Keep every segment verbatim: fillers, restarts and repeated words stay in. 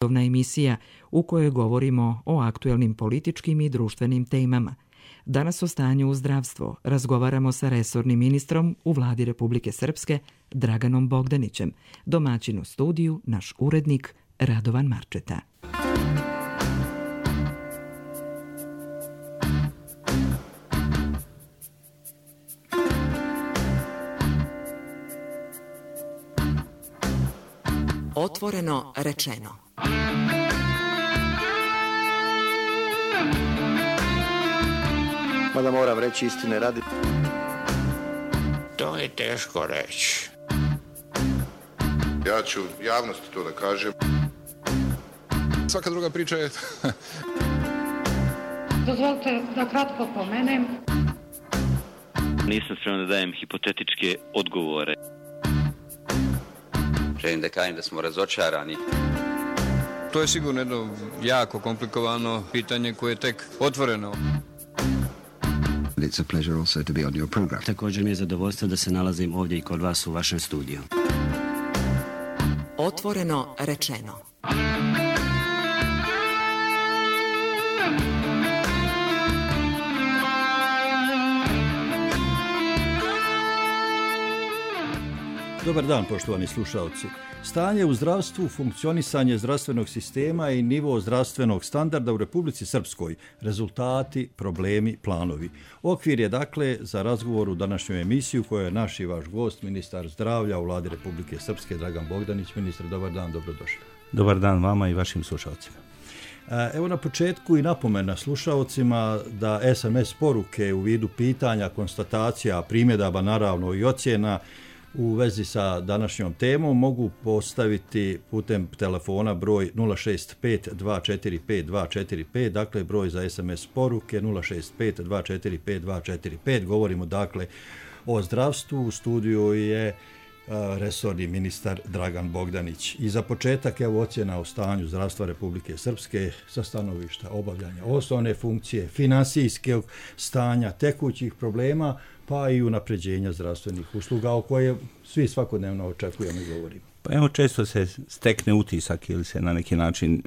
emisija u kojoj govorimo o aktuelnim političkim i društvenim temama. Danas o stanju u zdravstvu razgovaramo sa resornim ministrom u vladi Republike Srpske Draganom Bogdanićem, domaćin u studiju naš urednik Radovan Marčeta. Otvoreno rečeno. Mada moram reći istine radi. To je teško reći. Ja ću javnosti to da kažem. Svaka druga priča je... Dozvolite da kratko pomenem. Nisam spreman da dajem hipotetičke odgovore. Želim da kažem da smo razočarani. To je sigurno jedno jako komplikovano pitanje koje je tek otvoreno. It's a pleasure also to be on your program. Također mi je zadovoljstvo da se nalazim ovdje i kod vas u vašem studiju. Otvoreno rečeno. Dobar dan, poštovani slušalci. Stanje u zdravstvu, funkcionisanje zdravstvenog sistema i nivo zdravstvenog standarda u Republici Srpskoj, rezultati, problemi, planovi. Okvir je dakle za razgovor u današnju emisiju koja je naš i vaš gost, ministar zdravlja u vladi Republike Srpske Dragan Bogdanić. Ministar, dobar dan, dobrodošli. Dobar dan vama i vašim slušalcima. Evo na početku i napomena slušalcima da es em es poruke u vidu pitanja, konstatacija, primjedaba naravno i ocjena u vezi sa današnjom temom mogu postaviti putem telefona broj nula šest pet dva četiri pet dva četiri pet, dakle broj za es em es poruke nula šest pet dva četiri pet dva četiri pet. Govorimo dakle o zdravstvu. U studiju je resorni ministar Dragan Bogdanić. I za početak evo ocjena o stanju zdravstva Republike Srpske sa stanovišta obavljanja osnovne funkcije, finansijskog stanja, tekućih problema, pa i unapređenja zdravstvenih usluga o koje svi svakodnevno očekujemo i govorimo. Pa evo, često se stekne utisak ili se na neki način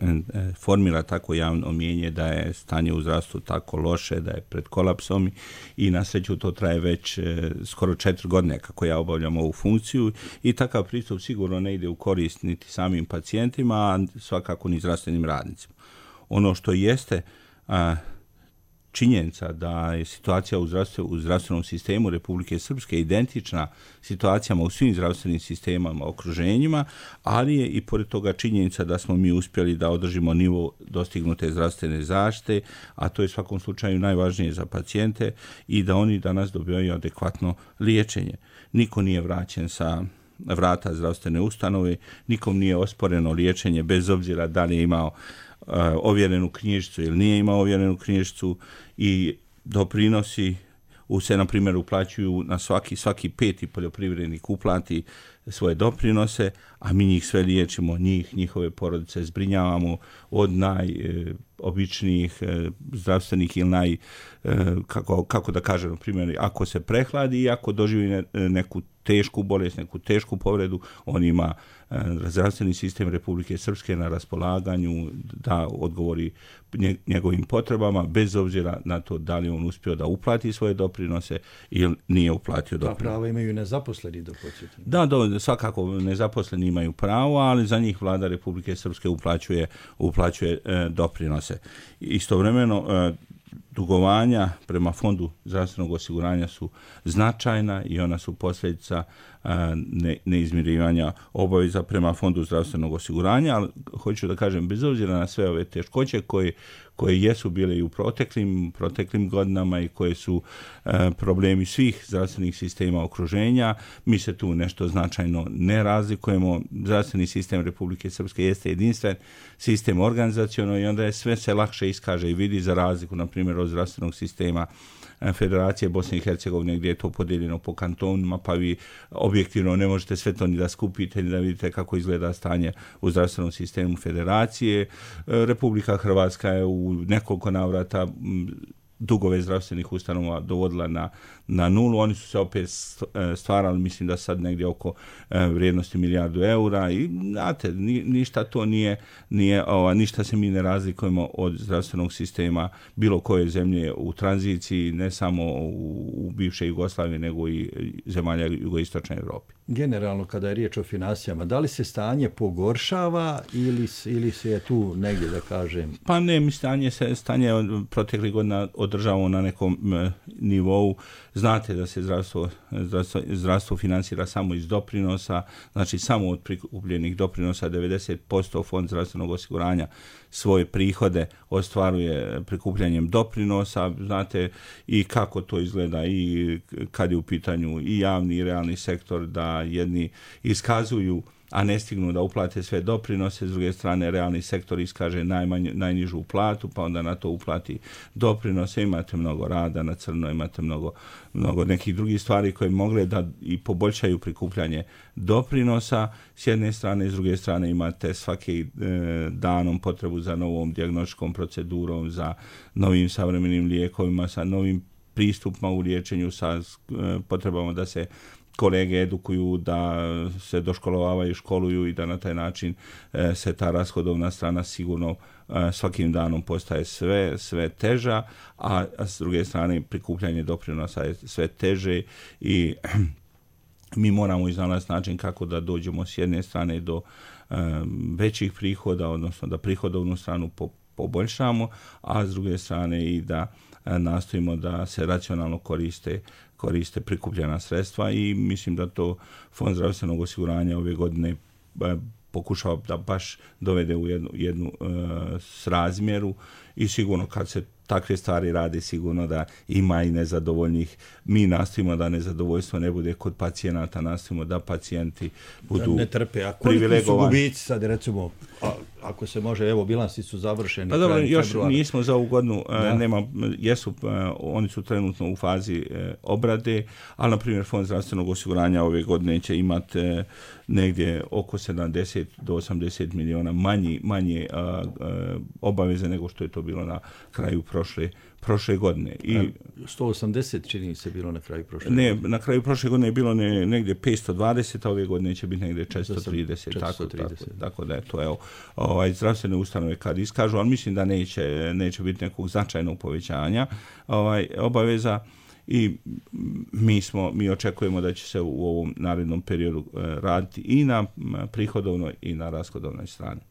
formira tako javno mnijenje da je stanje u zdravstvu tako loše, da je pred kolapsom i na sreću to traje već skoro četiri godine kako ja obavljam ovu funkciju i takav pristup sigurno ne ide u korist niti samim pacijentima, a svakako ni zdravstvenim radnicima. Ono što jeste a, činjenica da je situacija u, zdravstvu, u zdravstvenom sistemu Republike Srpske identična situacijama u svim zdravstvenim sistemama, okruženjima, ali je i pored toga činjenica da smo mi uspjeli da održimo nivo dostignute zdravstvene zaštite, a to je u svakom slučaju najvažnije za pacijente i da oni danas dobivaju adekvatno liječenje. Niko nije vraćen sa vrata zdravstvene ustanove, nikom nije osporeno liječenje bez obzira da li je imao Uh, ovjerenu knjižicu ili nije imao ovjerenu knjižicu i doprinosi u se, na primjer, uplaćuju na svaki, svaki peti poljoprivrednik uplati svoje doprinose, a mi njih sve liječimo, njih, njihove porodice zbrinjavamo od najobičnijih e, zdravstvenih ili naj, e, kako, kako da kažem, na primjer, ako se prehladi i ako doživi ne, neku tešku bolest, neku tešku povredu, on ima e, zdravstveni sistem Republike Srpske na raspolaganju da odgovori njegovim potrebama, bez obzira na to da li on uspio da uplati svoje doprinose ili nije uplatio doprinose. Ta prava imaju i nezaposleni do početka. Da, do, svakako nezaposleni imaju pravo, ali za njih vlada Republike Srpske uplaćuje, uplaćuje e, doprinose. Istovremeno, e, dugovanja prema Fondu zdravstvenog osiguranja su značajna i ona su posljedica ne, neizmirivanja obaveza prema Fondu zdravstvenog osiguranja, ali hoću da kažem, bez obzira na sve ove teškoće koje, koje jesu bile i u proteklim, proteklim godinama i koje su e, problemi svih zdravstvenih sistema okruženja, mi se tu nešto značajno ne razlikujemo. Zdravstveni sistem Republike Srpske jeste jedinstven sistem organizaciono i onda je sve se lakše iskaže i vidi, za razliku, na primjer, od zdravstvenog sistema Federacije Bosne i Hercegovine, gdje je to podijeljeno po kantonima, pa vi objektivno ne možete sve to ni da skupite, ni da vidite kako izgleda stanje u zdravstvenom sistemu Federacije. Republika Hrvatska je u nekoliko navrata dugove zdravstvenih ustanova dovodila na, na nulu. Oni su se opet stvarali, mislim da sad negdje oko vrijednosti milijardu eura i znate, ni, ništa to nije, nije ova, ništa se mi ne razlikujemo od zdravstvenog sistema bilo koje zemlje u tranziciji, ne samo u, u bivšoj Jugoslaviji, nego i zemalja jugoistočne Europe. Generalno, kada je riječ o financijama, da li se stanje pogoršava ili, ili se je tu negdje, da kažem? Pa ne, mi stanje se stanje od proteklih godina održavamo na nekom e, nivou. Znate da se zdravstvo, zdravstvo, zdravstvo financira samo iz doprinosa, znači samo od prikupljenih doprinosa devedeset posto Fond zdravstvenog osiguranja svoje prihode ostvaruje prikupljanjem doprinosa. Znate i kako to izgleda i kad je u pitanju i javni i realni sektor, da jedni iskazuju a ne stignu da uplate sve doprinose, s druge strane realni sektor iskaže najmanju, najnižu platu, pa onda na to uplati doprinose, imate mnogo rada na crno, imate mnogo, mnogo nekih drugih stvari koje mogle da i poboljšaju prikupljanje doprinosa, s jedne strane, s druge strane imate svaki e, danom potrebu za novom dijagnostičkom procedurom, za novim savremenim lijekovima, sa novim pristupima u liječenju, sa e, potrebama da se kolege edukuju, da se doškolovavaju, školuju i da na taj način e, se ta rashodovna strana sigurno e, svakim danom postaje sve, sve teža, a, a s druge strane prikupljanje doprinosa je sve teže i mi moramo iznalaziti način kako da dođemo s jedne strane do e, većih prihoda, odnosno da prihodovnu stranu po, poboljšamo, a s druge strane i da e, nastojimo da se racionalno koriste koriste prikupljena sredstva i mislim da to Fond zdravstvenog osiguranja ove godine pokušava da baš dovede u jednu, jednu e, srazmjeru i sigurno kad se takve stvari radi, sigurno da ima i nezadovoljnih. Mi nastojimo da nezadovoljstvo ne bude kod pacijenata, nastojimo da pacijenti budu da ne trpe. A koliki su gubici sad, recimo, a, ako se može, evo, bilansi su završeni. Pa dobro, još februara. Nismo za ovu godinu, da. nema, jesu, oni su trenutno u fazi e, obrade, ali, na primjer, Fond zdravstvenog osiguranja ove godine će imati e, negdje oko sedamdeset do osamdeset miliona manji, manje a, a, obaveze nego što je to bilo na kraju prošle, prošle godine. I sto osamdeset čini se bilo na kraju prošle ne, godine. Na kraju prošle godine je bilo ne, negdje petsto dvadeset, a ove godine će biti negdje četiristo trideset. četiristo trideset. Tako, tako, tako da je to, evo, ovaj, zdravstvene ustanove kad iskažu, ali mislim da neće, neće biti nekog značajnog povećanja ovaj, obaveza. I mi smo, mi očekujemo da će se u ovom narednom periodu raditi i na prihodovnoj i na rashodovnoj strani.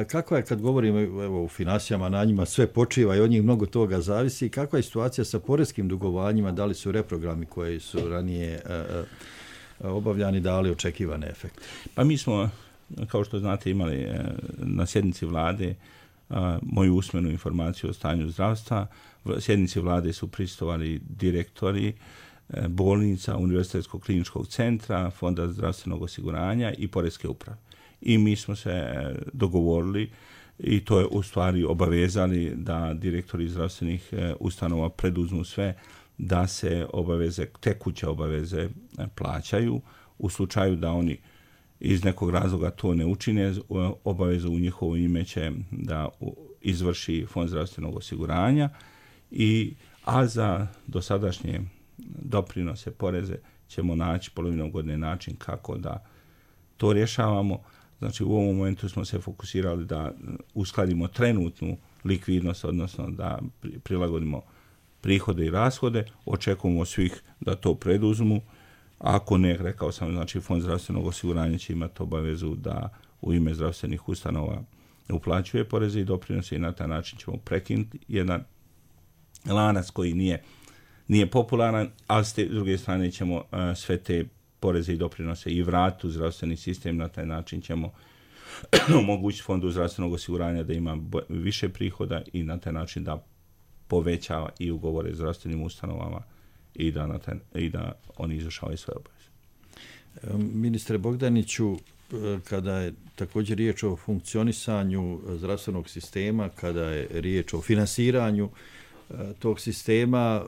Kako je, kad govorimo evo, u financijama, na njima sve počiva i od njih mnogo toga zavisi, kakva je situacija sa poreskim dugovanjima, da li su reprogrami koji su ranije a, a, obavljani dali očekivane efekte? Pa mi smo, kao što znate, imali a, na sjednici vlade a, moju usmenu informaciju o stanju zdravstva. U sjednici vlade su prisustvovali direktori a, bolnica, Univerzitetskog kliničkog centra, Fonda zdravstvenog osiguranja i poreske uprave. I mi smo se dogovorili i to je u stvari obavezali da direktori zdravstvenih ustanova preduzmu sve da se obaveze, tekuće obaveze plaćaju. U slučaju da oni iz nekog razloga to ne učine, obavezu u njihovo ime će da izvrši Fond zdravstvenog osiguranja, i, a za dosadašnje doprinose, poreze ćemo naći polovinom godine način kako da to rješavamo. Znači, u ovom momentu smo se fokusirali da uskladimo trenutnu likvidnost, odnosno da prilagodimo prihode i rashode. Očekujemo svih da to preduzmu. Ako ne, rekao sam, znači Fond zdravstvenog osiguranja će imati obavezu da u ime zdravstvenih ustanova uplaćuje poreze i doprinose i na taj način ćemo prekinuti jedan lanac koji nije, nije popularan, ali s te druge strane ćemo uh, sve te poreze i doprinose i vratu zdravstveni sistem, na taj način ćemo omogućiti Fondu zdravstvenog osiguranja da ima više prihoda i na taj način da povećava i ugovore zdravstvenim ustanovama i da, na taj, i da oni izvršavaju svoje obaveze. Ministre Bogdaniću, kada je također riječ o funkcionisanju zdravstvenog sistema, kada je riječ o finansiranju tog sistema,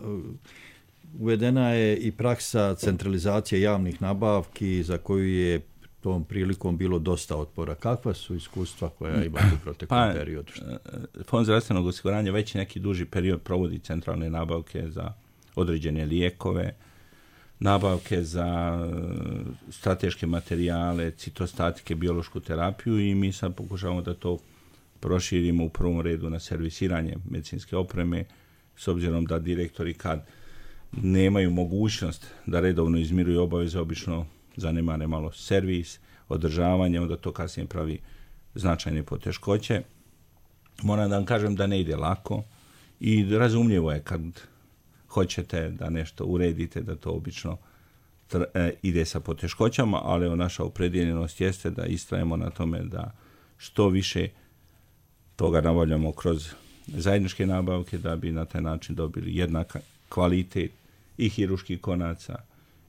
uvedena je i praksa centralizacije javnih nabavki za koju je tom prilikom bilo dosta otpora. Kakva su iskustva koja imate u proteklom pa, periodu? Fond zdravstvenog osiguranja već neki duži period provodi centralne nabavke za određene lijekove, nabavke za strateške materijale, citostatike, biološku terapiju i mi sad pokušavamo da to proširimo u prvom redu na servisiranje medicinske opreme, s obzirom da direktori kad nemaju mogućnost da redovno izmiruju obaveze, obično zanemare malo servis, održavanje, onda to kasnije pravi značajne poteškoće. Moram da vam kažem da ne ide lako i razumljivo je kad hoćete da nešto uredite, da to obično tr- e, ide sa poteškoćama, ali evo, naša opredjeljenost jeste da istrajemo na tome da što više toga nabavljamo kroz zajedničke nabavke, da bi na taj način dobili jednak kvalitet i hiruških konaca,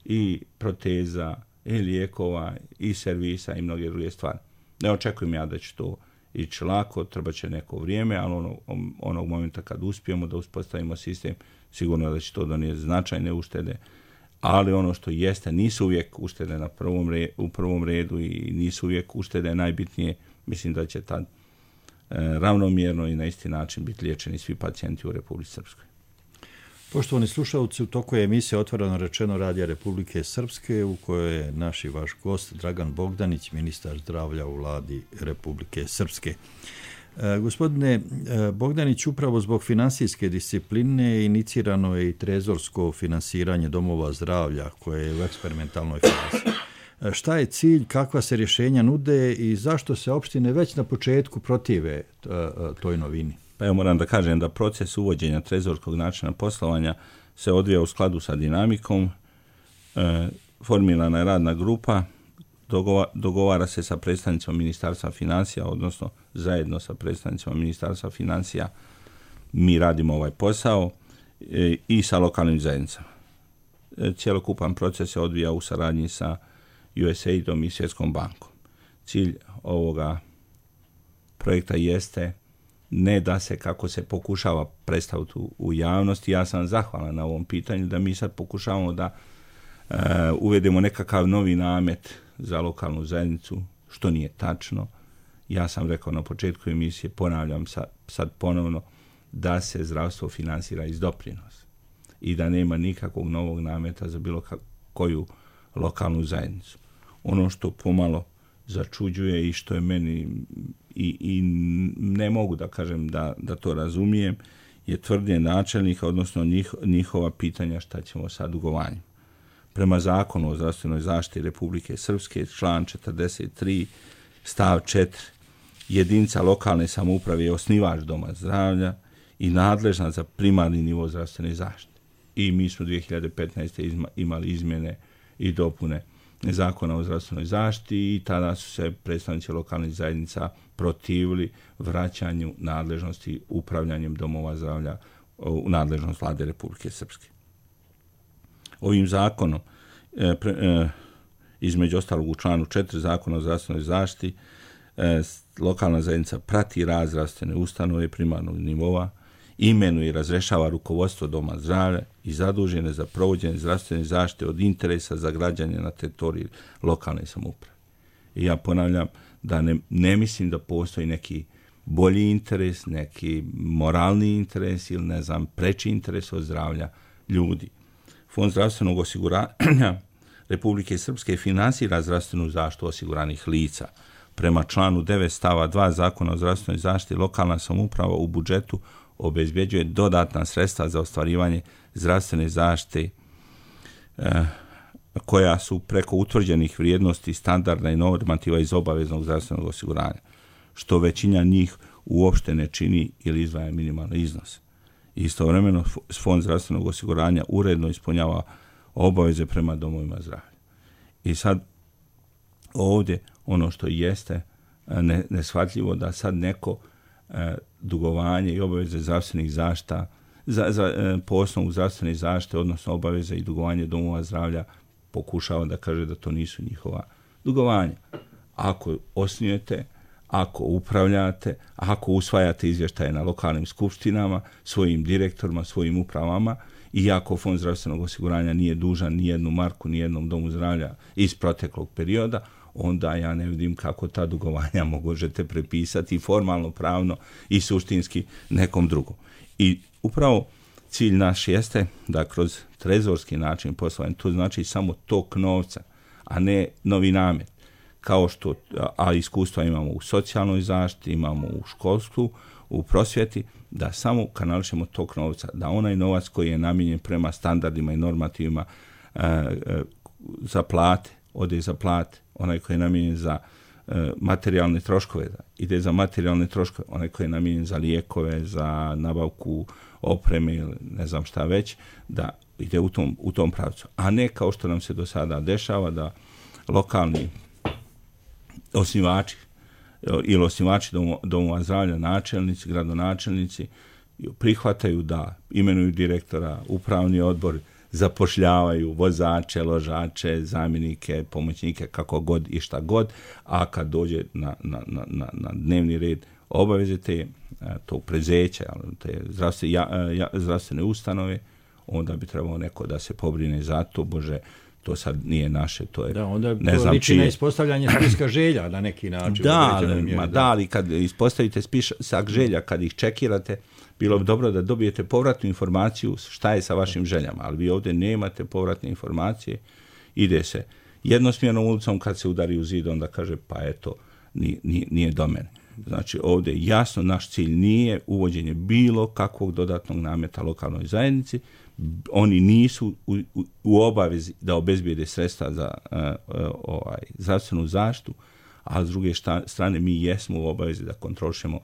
i proteza, i lijekova, i servisa, i mnoge druge stvari. Ne očekujem ja da će to ići lako, treba će neko vrijeme, ali ono, onog momenta kad uspijemo da uspostavimo sistem, sigurno da će to donijeti značajne uštede, ali ono što jeste, nisu uvijek uštede na prvom redu, u prvom redu i nisu uvijek uštede najbitnije. Mislim da će tad e, ravnomjerno i na isti način biti liječeni svi pacijenti u Republici Srpskoj. Poštovani slušalci, u toku je emisija Otvoreno rečeno Radija Republike Srpske, u kojoj je naš i vaš gost Dragan Bogdanić, ministar zdravlja u Vladi Republike Srpske. E, gospodine e, Bogdanić, upravo zbog finansijske discipline inicirano je i trezorsko finansiranje domova zdravlja koje je u eksperimentalnoj fazi. E, šta je cilj, kakva se rješenja nude i zašto se opštine već na početku protive t, toj novini? Pa ja moram da kažem da proces uvođenja trezorskog načina poslovanja se odvija u skladu sa dinamikom. E, formirana je radna grupa, dogova, dogovara se sa predstavnicima Ministarstva financija, odnosno zajedno sa predstavnicima Ministarstva financija mi radimo ovaj posao e, i sa lokalnim zajednicama. E, cijelokupan proces se odvija u saradnji sa U S A I D-om i Svjetskom bankom. Cilj ovoga projekta jeste ne da se, kako se pokušava predstaviti u, u javnosti, ja sam zahvalan na ovom pitanju, da mi sad pokušavamo da e, uvedemo nekakav novi namet za lokalnu zajednicu, što nije tačno. Ja sam rekao na početku emisije, ponavljam sad, sad ponovno, da se zdravstvo finansira iz doprinosa i da nema nikakvog novog nameta za bilo koju lokalnu zajednicu. Ono što pomalo začuđuje i što je meni i, i ne mogu da kažem da, da to razumijem, je tvrdnje načelnika, odnosno njih, njihova pitanja šta ćemo sa dugovanjem. Prema zakonu o zdravstvenoj zaštiti Republike Srpske, član četrdeset tri, stav četiri, jedinica lokalne samouprave je osnivač doma zdravlja i nadležna za primarni nivo zdravstvene zaštite. I mi smo dvije hiljade petnaeste. Izma, imali izmjene i dopune zakona o zdravstvenoj zaštiti i tada su se predstavnici lokalnih zajednica protivili vraćanju nadležnosti upravljanjem domova zdravlja u nadležnost Vlade Republike Srpske. Ovim zakonom, e, pre, e, između ostalog u članu četiri zakona o zdravstvenoj zaštiti, e, lokalna zajednica prati rad zdravstvene ustanove primarnog nivoa, imenuje i razrešava rukovodstvo doma zdravlja i zadužene za provođenje zdravstvene zaštite od interesa za građane na teritoriji lokalne samouprave. I ja ponavljam da ne, ne mislim da postoji neki bolji interes, neki moralni interes ili ne znam, preči interes od zdravlja ljudi. Fond zdravstvenog osiguranja Republike Srpske finansira zdravstvenu zaštitu osiguranih lica. Prema članu devet stava dva zakona o zdravstvenoj zaštiti lokalna samouprava u budžetu obezbjeđuje dodatna sredstva za ostvarivanje zdravstvene zaštite eh, koja su preko utvrđenih vrijednosti, standarda i normativa iz obaveznog zdravstvenog osiguranja, što većina njih uopšte ne čini ili izdvaja minimalni iznos. Istovremeno Fond zdravstvenog osiguranja uredno ispunjava obaveze prema domovima zdravlja. I sad ovdje ono što jeste ne, neshvatljivo da sad neko e, dugovanje i obaveze zdravstvenih zaštita za, za, e, po osnovu zdravstvene zaštite, odnosno obaveze i dugovanje domova zdravlja pokušava da kaže da to nisu njihova dugovanja. Ako osnujete, ako upravljate, ako usvajate izvještaje na lokalnim skupštinama, svojim direktorima, svojim upravama, i ako Fond zdravstvenog osiguranja nije dužan ni jednu marku, ni jednom domu zdravlja iz proteklog perioda, onda ja ne vidim kako ta dugovanja možete prepisati formalno, pravno i suštinski nekom drugom. I upravo cilj naš jeste da kroz trezorski način poslovanja, to znači samo tok novca, a ne novi namet, kao što, a iskustva imamo u socijalnoj zaštiti, imamo u školstvu, u prosvjeti, da samo kanališemo tok novca, da onaj novac koji je namijenjen prema standardima i normativima e, e, za plate, ode za plate, onaj koji je namijenjen za e, materijalne troškove, da ide za materijalne troškove, onaj koji je namijenjen za lijekove, za nabavku opreme ili ne znam šta već, da ide u tom, u tom pravcu. A ne kao što nam se do sada dešava da lokalni osnivači ili osnivači domova zdravlja, načelnici, gradonačelnici prihvataju da imenuju direktora, upravni odbor, zapošljavaju vozače, ložače, zamjenike, pomoćnike, kako god i šta god, a kad dođe na, na, na, na dnevni red obaveze te, tog prezeća, te zdravstvene, ja, ja, zdravstvene ustanove, onda bi trebalo neko da se pobrine za to, Bože, to sad nije naše, to je, da, onda ne to znam liči čije. na ispostavljanje spiska želja na neki način. Da, ma da, ali kad ispostavite spisak želja, kad ih čekirate, bilo bi dobro da dobijete povratnu informaciju šta je sa vašim željama, ali vi ovdje nemate povratne informacije, ide se jednosmjernom ulicom, kad se udari u zid, onda kaže pa eto, nije, nije do mene. Znači ovdje jasno naš cilj nije uvođenje bilo kakvog dodatnog nameta lokalnoj zajednici, oni nisu u, u, u obavezi da obezbijede sredstva za uh, uh, ovaj, zdravstvenu zaštitu, a s druge šta, strane mi jesmo u obavezi da kontrolišemo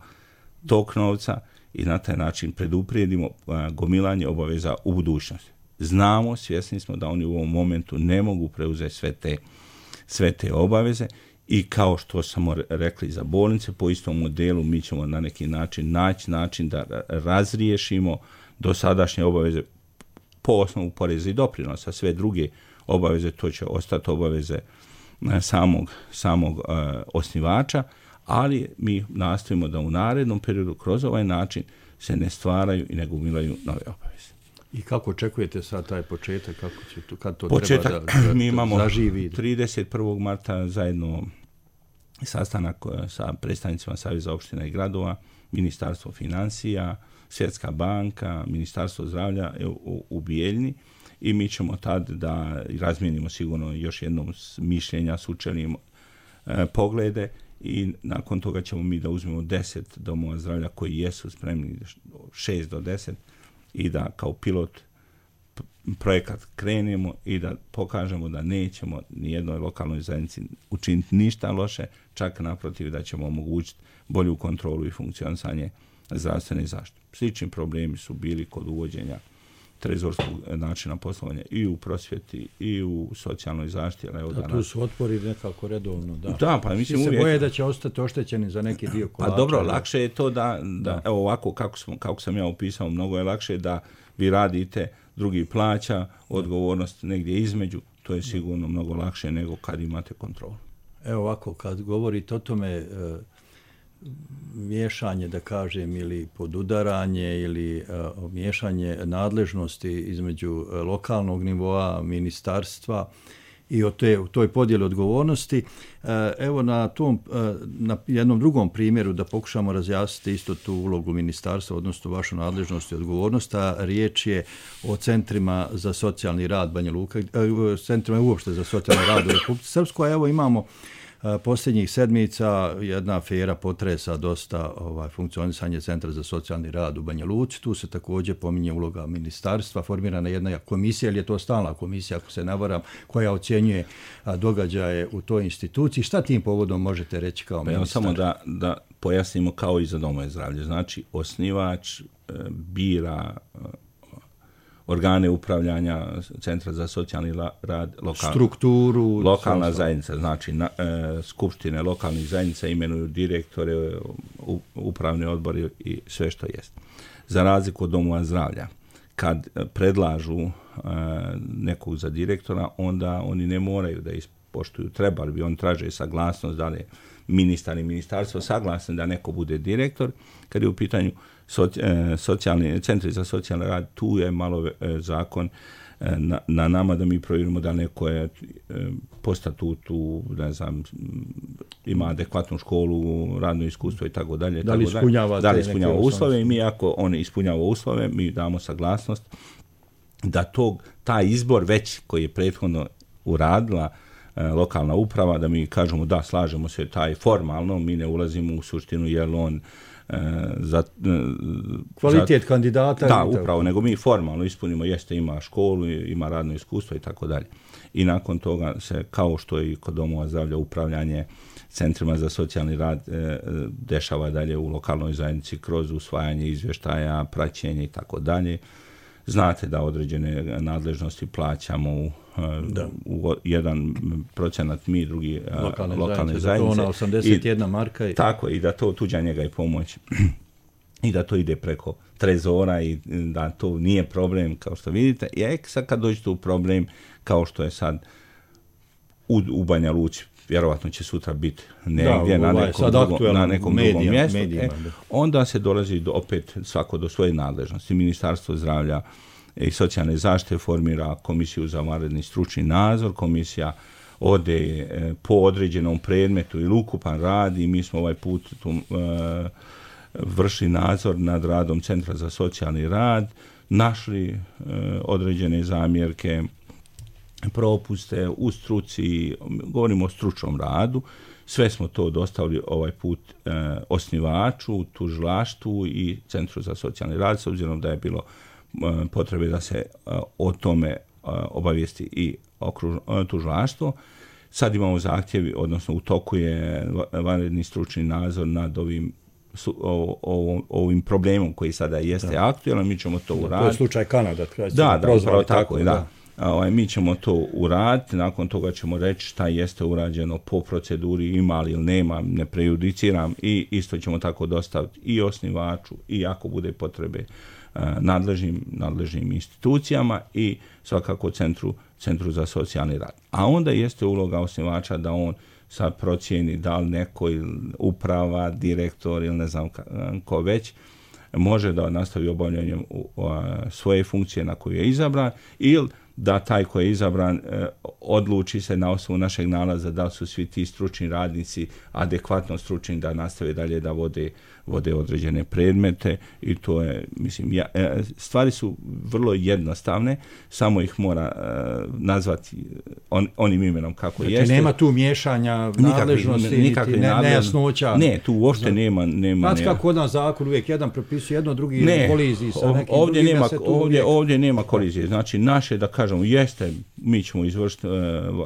tok novca i na taj način preduprijedimo uh, gomilanje obaveza u budućnosti. Znamo, svjesni smo da oni u ovom momentu ne mogu preuzeti sve te, sve te obaveze i kao što smo rekli za bolnice, po istom modelu mi ćemo na neki način naći način da razriješimo dosadašnje obaveze po osnovu poreza i doprinosa. Sve druge obaveze, to će ostati obaveze samog, samog uh, osnivača, ali mi nastojimo da u narednom periodu kroz ovaj način se ne stvaraju i ne gomilaju nove obaveze. I kako očekujete sad taj početak, kako će to, kad to početak, treba da, da mi imamo zaživi? trideset prvog marta zajedno sastanak sa predstavnicima Saveza opština i gradova, Ministarstvo financija, Svjetska banka, Ministarstvo zdravlja u, u Bijeljni i mi ćemo tad da razmijenimo sigurno još jednom mišljenja, sučelimo e, poglede i nakon toga ćemo mi da uzmemo deset domova zdravlja koji jesu spremni, šest do deset, i da kao pilot projekat krenemo i da pokažemo da nećemo ni jednoj lokalnoj zajednici učiniti ništa loše, čak naprotiv da ćemo omogućiti bolju kontrolu i funkcionisanje zdravstvene zaštite. Slični problemi su bili kod uvođenja trezorskog načina poslovanja i u prosvjeti i u socijalnoj zaštiti. Ali evo da, tu su otpori nekako redovno. Da, da pa mislim se uvijek... boje da će ostati oštećeni za neki dio kolača. Pa dobro, lakše je to da, da, da. evo ovako kako, smo, kako sam ja opisao, mnogo je lakše da vi radite, drugi plaća, odgovornost negdje između, to je sigurno mnogo lakše nego kad imate kontrolu. Evo ovako, kad govorite o tome, e, miješanje, da kažem, ili podudaranje ili uh, miješanje nadležnosti između uh, lokalnog nivoa, ministarstva i o te, toj podjeli odgovornosti. Uh, evo na tom, uh, na jednom drugom primjeru da pokušamo razjasniti isto tu ulogu ministarstva, odnosno vašu nadležnost i odgovornost, a riječ je o centrima za socijalni rad Banja Luka, uh, centrima uopšte za socijalni rad u Republici Srpskoj, a evo imamo posljednjih sedmica jedna afera potresa dosta ovaj, funkcionisanje Centra za socijalni rad u Banja Luci. Tu se također pominje uloga ministarstva, formirana jedna komisija, ili je to stalna komisija, ako se ne varam, koja ocjenjuje a, događaje u toj instituciji. Šta tim povodom možete reći kao pa ministar? Samo da, da pojasnimo kao i za domove zdravlja. Znači, osnivač e, bira e, organe upravljanja Centra za socijalni rad, lokal, strukturu, lokalna zajednica, znači na, e, skupštine lokalnih zajednica imenuju direktore, u, upravni odbori i sve što jest. Za razliku od domova zdravlja, kad predlažu e, nekog za direktora, onda oni ne moraju da ispoštuju, trebali bi, on traže saglasnost, da li je ministar i ministarstvo saglasni da neko bude direktor. Kad je u pitanju socijalni centri za socijalni rad, tu je malo zakon na, na nama da mi provjerimo da neko je po statutu, ne znam, ima adekvatnu školu, radno iskustvo i tako dalje. Da li ispunjava, da li ispunjava uslove i mi ako on ispunjava uslove, mi damo saglasnost da tog, taj izbor već koji je prethodno uradila e, lokalna uprava, da mi kažemo da slažemo se taj formalno, mi ne ulazimo u suštinu jer on e, za, e, kvalitet za, kandidata. Da, upravo, nego mi formalno ispunimo, jeste ima školu, ima radno iskustvo i tako dalje. I nakon toga se, kao što i kod domova zdravlja, upravljanje centrima za socijalni rad e, dešava dalje u lokalnoj zajednici kroz usvajanje izvještaja, praćenje i tako dalje. Znate da određene nadležnosti plaćamo u, u jedan procenat mi, drugi lokalne, lokalne zajednice. To osamdeset jedna marka. I, tako, i da to tuđa njega i pomoć. I da to ide preko trezora i da to nije problem, kao što vidite. I sad kad dođete u problem, kao što je sad u, u Banja Luci, vjerovatno će sutra biti negdje da, na nekom, drugom, na nekom medijam, drugom mjestu, medijima, e, onda se dolazi do, opet svako do svoje nadležnosti. Ministarstvo zdravlja i socijalne zaštite formira komisiju za vanredni stručni nadzor, komisija ode e, po određenom predmetu ili ukupan rad i mi smo ovaj put tu, e, vršili nadzor nad radom Centra za socijalni rad, našli e, određene zamjerke, propuste u struci, govorimo o stručnom radu, sve smo to dostavili ovaj put e, osnivaču, tužilaštvu i Centru za socijalni rad, s obzirom da je bilo e, potrebe da se e, o tome e, obavijesti i okruž, e, tužilaštvo. Sad imamo zahtjevi, odnosno u toku je vanredni stručni nadzor nad ovim Su, o, o, ovim problemom koji sada jeste da. aktualan, mi ćemo to uraditi. To je slučaj Kanada. Da, da, prozvali, tako, tako, da. da. Ovaj, mi ćemo to uraditi, nakon toga ćemo reći šta jeste urađeno po proceduri, ima li ili nema, ne prejudiciram i isto ćemo tako dostaviti i osnivaču i ako bude potrebe nadležnim, nadležnim institucijama i svakako centru, centru za socijalni rad. A onda jeste uloga osnivača da on sad procijeni da li neko uprava, direktor ili ne znam ko već može da nastavi obavljanjem svoje funkcije na koju je izabran ili da taj koji je izabran eh, odluči se na osnovu našeg nalaza da su svi ti stručni radnici adekvatno stručni da nastave dalje da vode, vode određene predmete i to je, mislim, ja, eh, stvari su vrlo jednostavne, samo ih mora eh, nazvati on, onim imenom kako znači, jeste. Nema tu miješanja nadležnosti, nikakve ne, nejasnoća. Ne, tu uopšte nema. nema Znači kako od nas zakon uvijek jedan propisuje jedno, drugi ne, koliziji sa nekim ovdje drugim. Nema, ovdje, uvijek... ovdje nema kolizije. Znači naše, da kažemo, jeste, mi ćemo izvršiti uh,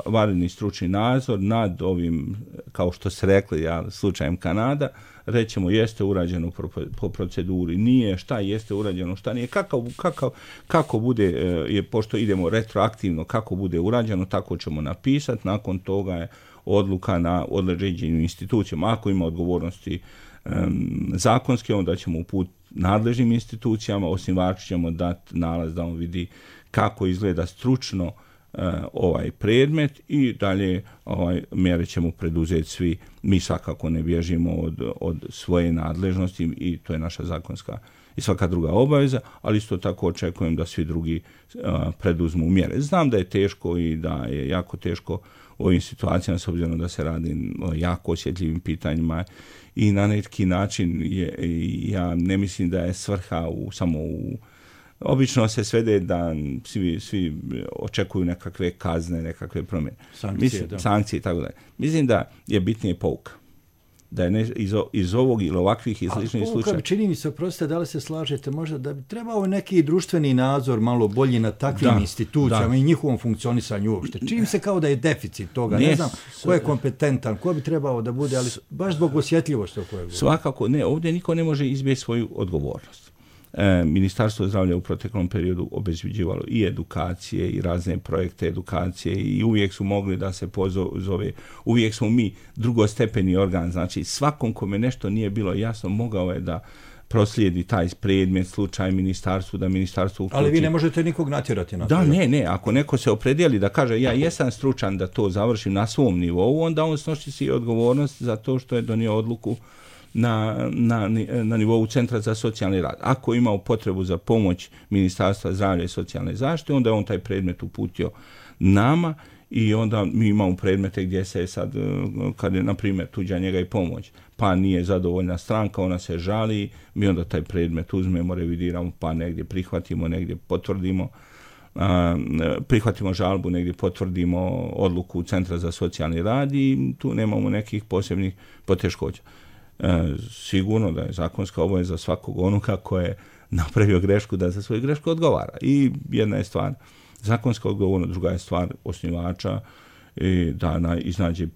vanredni stručni nadzor nad ovim, kao što se rekli, ja, slučajem Kanada, rećemo jeste urađeno po, po proceduri, nije, šta jeste urađeno, šta nije, kako, kako, kako bude, uh, je, pošto idemo retroaktivno, kako bude urađeno, tako ćemo napisati, nakon toga je odluka na određenim institucijama, ako ima odgovornosti um, zakonske, onda ćemo uputiti nadležnim institucijama, osnivaču ćemo dati nalaz da on vidi kako izgleda stručno uh, ovaj predmet i dalje ovaj, mjere ćemo preduzeti svi. Mi svakako ne bježimo od, od svoje nadležnosti i to je naša zakonska i svaka druga obaveza, ali isto tako očekujem da svi drugi uh, preduzmu mjere. Znam da je teško i da je jako teško u ovim situacijama, s obzirom da se radi o jako osjetljivim pitanjima i na neki način je, ja ne mislim da je svrha u, samo u obično se svede da svi, svi očekuju nekakve kazne, nekakve promjene. Sankcije, mislim, da. Sankcije i tako dalje. Mislim da je bitnije pouka. Da je ne, iz, iz ovog ili ovakvih i sličnih slučaja. Ali čini mi se, oprostite, da li se slažete možda da bi trebao neki društveni nadzor malo bolji na takvim da, institucijama da. i njihovom funkcionisanju uopšte. Čini se kao da je deficit toga. Ne, ne znam ko je kompetentan, ko bi trebao da bude, ali baš zbog osjetljivosti o kojoj govorim. Svakako, ne, ovdje niko ne može izbjeći svoju odgovornost. E, Ministarstvo zdravlja u proteklom periodu obezbeđivalo i edukacije i razne projekte edukacije i uvijek su mogli da se pozove, uvijek smo mi drugostepeni organ, znači svakom kome nešto nije bilo jasno mogao je da proslijedi taj predmet, slučaj ministarstvu, da ministarstvo uključi. Ali vi ne možete nikog natjerati na to. Da, ne, ne, ako neko se opredijeli da kaže ja jesam stručan da to završim na svom nivou, onda on snosi si odgovornost za to što je donio odluku na, na, na nivou Centra za socijalni rad. Ako imao potrebu za pomoć Ministarstva zdravlja i socijalne zaštite, onda je on taj predmet uputio nama i onda mi imamo predmete gdje se sad, kad je, na primjer, tuđa njega i pomoć, pa nije zadovoljna stranka, ona se žali, mi onda taj predmet uzmemo, revidiramo, pa negdje prihvatimo, negdje potvrdimo, a, prihvatimo žalbu, negdje potvrdimo odluku Centra za socijalni rad i tu nemamo nekih posebnih poteškoća. E, sigurno da je zakonska obaveza svakog onoga ko je napravio grešku da za svoju grešku odgovara. I jedna je stvar zakonska odgovornost, druga je stvar osnivača i da na, iznađe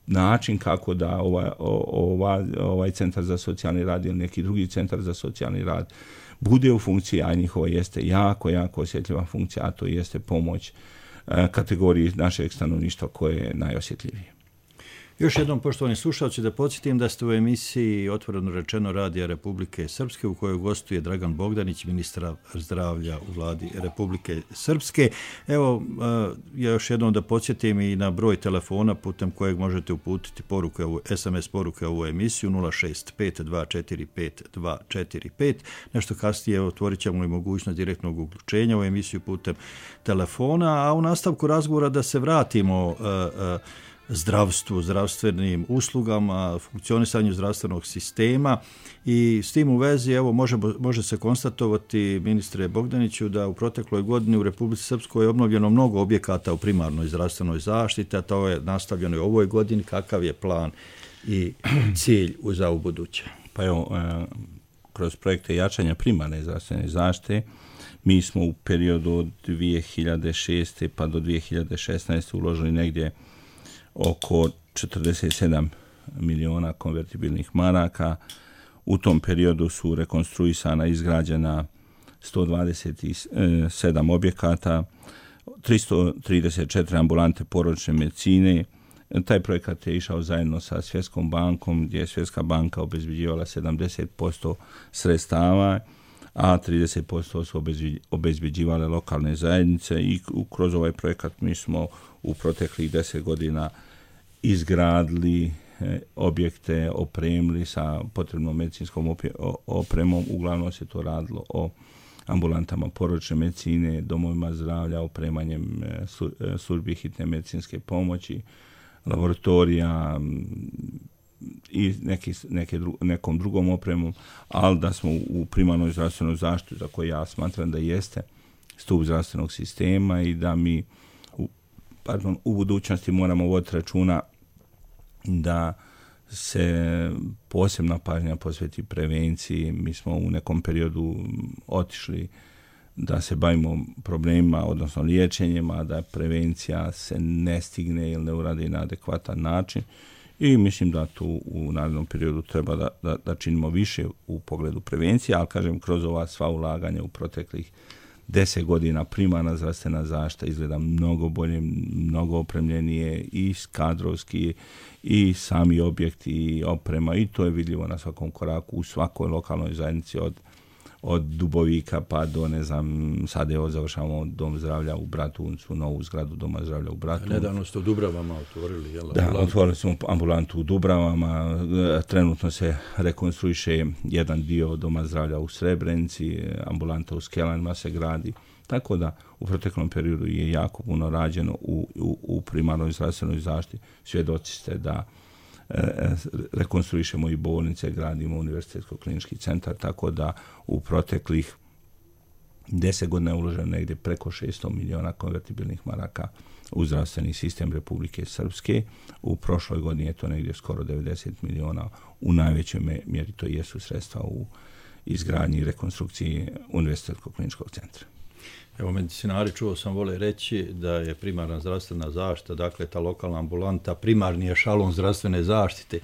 način kako da ovaj, ovaj, ovaj centar za socijalni rad ili neki drugi centar za socijalni rad bude u funkciji, a njihova jeste jako, jako osjetljiva funkcija, a to jeste pomoć e, kategoriji našeg stanovništva koje je najosjetljivije. Još jednom, poštovani slušalci, da podsjetim da ste u emisiji Otvoreno rečeno Radija Republike Srpske u kojoj gostuje Dragan Bogdanić, ministar zdravlja u vladi Republike Srpske. Evo, ja još jednom da podsjetim i na broj telefona putem kojeg možete uputiti poruke, es em es poruke u ovu emisiju nula šest pet dva četiri pet dva četiri pet. Nešto kasnije otvorit ćemo i mogućnost direktnog uključenja u emisiju putem telefona, a u nastavku razgovora da se vratimo zdravstvu, zdravstvenim uslugama, funkcionisanju zdravstvenog sistema i s tim u vezi evo može, može se konstatovati, ministre Bogdaniću, da u protekloj godini u Republici Srpskoj je obnovljeno mnogo objekata u primarnoj zdravstvenoj zaštiti, a to je nastavljeno i u ovoj godini. Kakav je plan i cilj za u buduće? Pa evo, kroz projekte jačanja primarne zdravstvene zaštite mi smo u periodu od dvije hiljade šeste pa do dvije hiljade šesnaeste uložili negdje oko četrdeset sedam miliona konvertibilnih maraka. U tom periodu su rekonstruisana i izgrađena sto dvadeset sedam objekata, tristo trideset četiri ambulante porodične medicine. Taj projekat je išao zajedno sa Svjetskom bankom, gdje je Svjetska banka obezbeđivala sedamdeset posto sredstava, a trideset posto su obezbeđivale lokalne zajednice i kroz ovaj projekat mi smo u proteklih deset godina izgradili objekte, opremili sa potrebnom medicinskom opremom. Uglavnom se to radilo o ambulantama porodične medicine, domovima zdravlja, opremanjem službi hitne medicinske pomoći, laboratorija i neki, neke dru, nekom drugom opremom, ali da smo u primarnoj zdravstvenoj zaštiti, za koju ja smatram da jeste stup zdravstvenog sistema i da mi u, pardon, u budućnosti moramo voditi računa da se posebna pažnja posveti prevenciji. Mi smo u nekom periodu otišli da se bavimo problemima, odnosno liječenjima, da prevencija se ne stigne ili ne uradi na adekvatan način. I mislim da tu u narednom periodu treba da, da, da činimo više u pogledu prevencije, ali kažem, kroz ova sva ulaganja u proteklih deset godina primarna zdravstvena zaštita izgleda mnogo bolje, mnogo opremljenije i kadrovski i sami objekti i oprema, i to je vidljivo na svakom koraku u svakoj lokalnoj zajednici od od Dubovika pa do, ne znam, sad evo završavamo Dom zdravlja u Bratuncu, novu zgradu Doma zdravlja u Bratuncu. Nedavno ste u Dubravama otvorili, jel? Da, ambulantu. Otvorili smo ambulantu u Dubravama, trenutno se rekonstruiše jedan dio Doma zdravlja u Srebrenici, ambulanta u Skelanima se gradi, tako da u proteklom periodu je jako puno rađeno u, u, u primarnoj zdravstvenoj zaštiti. Svjedoci ste da rekonstruišemo i bolnice, gradimo univerzitetsko-klinički centar, tako da u proteklih deset godina je uloženo negdje preko šesto miliona konvertibilnih maraka u zdravstveni sistem Republike Srpske. U prošloj godini je to negdje skoro devedeset miliona. U najvećoj mjeri to jesu sredstva u izgradnji i rekonstrukciji univerzitetsko-kliničkog centra. Evo, medicinari, čuo sam, vole reći da je primarna zdravstvena zaštita, dakle ta lokalna ambulanta, primarni ešalon zdravstvene zaštite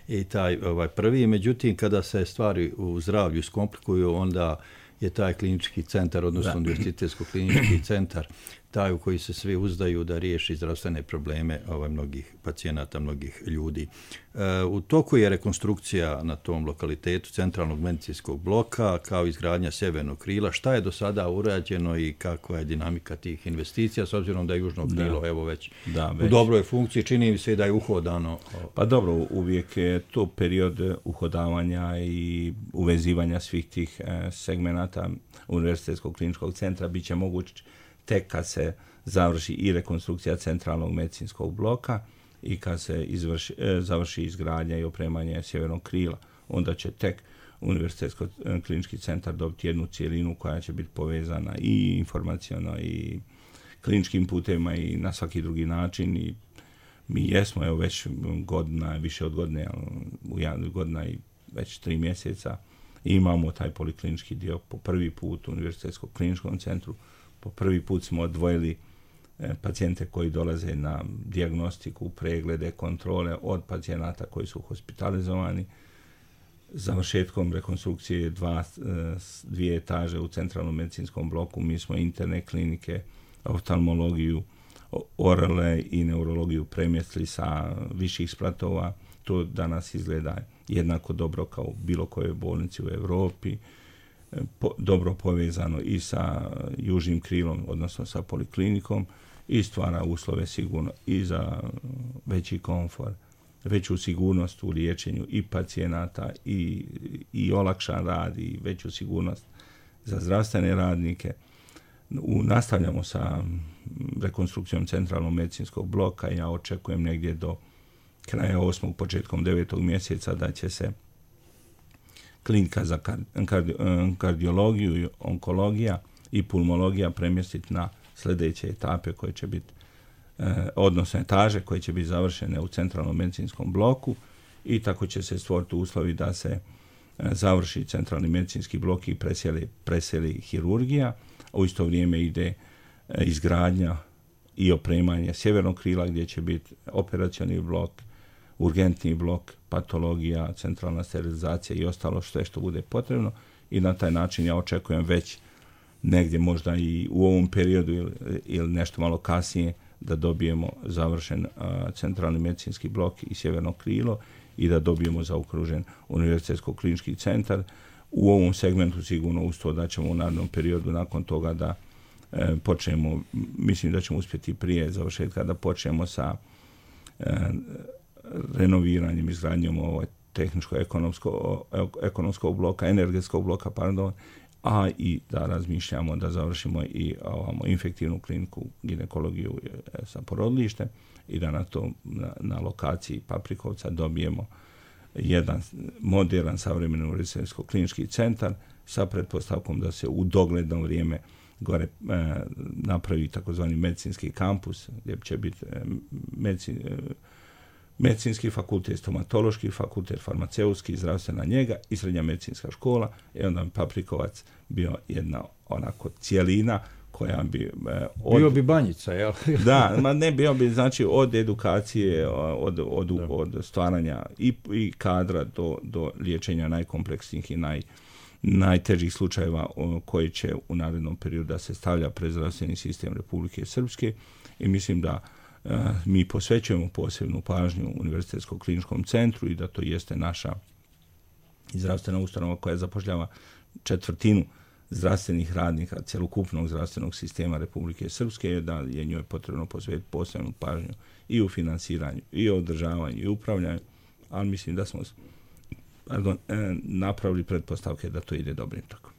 i taj ovaj, prvi. Međutim, kada se stvari u zdravlju skomplikuju, onda je taj klinički centar, odnosno univerzitetsko-klinički centar, taj u koji se svi uzdaju da riješi zdravstvene probleme ovaj, mnogih pacijenata, mnogih ljudi. E, u toku je rekonstrukcija na tom lokalitetu centralnog medicinskog bloka, kao izgradnja sjevernog krila. Šta je do sada urađeno i kakva je dinamika tih investicija, s obzirom da je južno krilo, da, evo već, da, već u dobroj funkciji, čini mi se da je uhodano. Pa dobro, uvijek je to period uhodavanja i uvezivanja svih tih segmenata Univerzitetskog kliničkog centra bit će moguć tek kad se završi i rekonstrukcija centralnog medicinskog bloka i kad se izvrši, završi izgradnja i opremanje sjevernog krila. Onda će tek Univerzitetsko klinički centar dobiti jednu cijelinu koja će biti povezana i informaciono i kliničkim putevima i na svaki drugi način. I mi jesmo, evo već godina, više od godine, u jednu godina i već tri mjeseca imamo taj poliklinički dio po prvi put u Univerzitetskom kliničkom centru. Po prvi put smo odvojili e, pacijente koji dolaze na dijagnostiku, preglede, kontrole od pacijenata koji su hospitalizovani. Završetkom rekonstrukcije dva, dvije etaže u centralnom medicinskom bloku mi smo interne klinike, oftalmologiju, orale i neurologiju premjestili sa viših spratova. To danas izgleda jednako dobro kao u bilo kojoj bolnici u Europi, po, dobro povezano i sa južnim krilom, odnosno sa poliklinikom, i stvara uslove sigurno i za veći komfor, veću sigurnost u liječenju i pacijenata i, i olakšan rad i veću sigurnost za zdravstvene radnike. U, nastavljamo sa rekonstrukcijom centralnog medicinskog bloka. Ja očekujem negdje do kraja osmog, početkom devetog mjeseca da će se klinika za kardi, kardiologiju i onkologija i pulmologija premjestiti na sljedeće etape koje će biti, odnosno etaže koje će biti završene u centralnom medicinskom bloku, i tako će se stvoriti uslovi da se završi centralni medicinski blok i preseli, preseli hirurgija. U isto vrijeme ide izgradnja i opremanje sjevernog krila gdje će biti operacioni blok, urgentni blok, patologija, centralna sterilizacija i ostalo sve što bude potrebno, i na taj način ja očekujem već negdje možda i u ovom periodu ili, ili nešto malo kasnije da dobijemo završen a, centralni medicinski blok i sjeverno krilo i da dobijemo zaokružen Univerzitetsko klinički centar. U ovom segmentu sigurno uz to da ćemo u narednom periodu nakon toga da e, počnemo, mislim da ćemo uspjeti prije završetka da počnemo sa e, renoviranjem, izgradnjom ovaj tehničko-ekonomskog bloka, energetskog bloka, pardon, a i da razmišljamo da završimo i ovamo infektivnu kliniku, ginekologiju sa porodilištem i da na to na, na lokaciji Paprikovca dobijemo jedan moderan savremeni univerzitetsko klinički centar sa pretpostavkom da se u dogledno vrijeme gore e, napravi takozvani medicinski kampus gdje će biti e, medicin, e, medicinski fakultet, stomatološki fakultet, farmaceutski, zdravstvena njega i srednja medicinska škola, i onda bi Paprikovac bio jedna onako cijelina koja bi... E, od, bio bi banjica, jel? Da, ma ne, bio bi znači od edukacije, od, od, od stvaranja i, i kadra do, do liječenja najkompleksnijih i naj, najtežih slučajeva o, koji će u narednom periodu da se stavlja pred zdravstveni sistem Republike Srpske, i mislim da Uh, mi posvećujemo posebnu pažnju Univerzitetskom kliničkom centru i da to jeste naša zdravstvena ustanova koja zapošljava četvrtinu zdravstvenih radnika cjelokupnog zdravstvenog sistema Republike Srpske, da je njoj potrebno posvetiti posebnu pažnju i u finansiranju, i u održavanju, i u upravljanju, ali mislim da smo pardon, napravili pretpostavke da to ide dobrim tokom.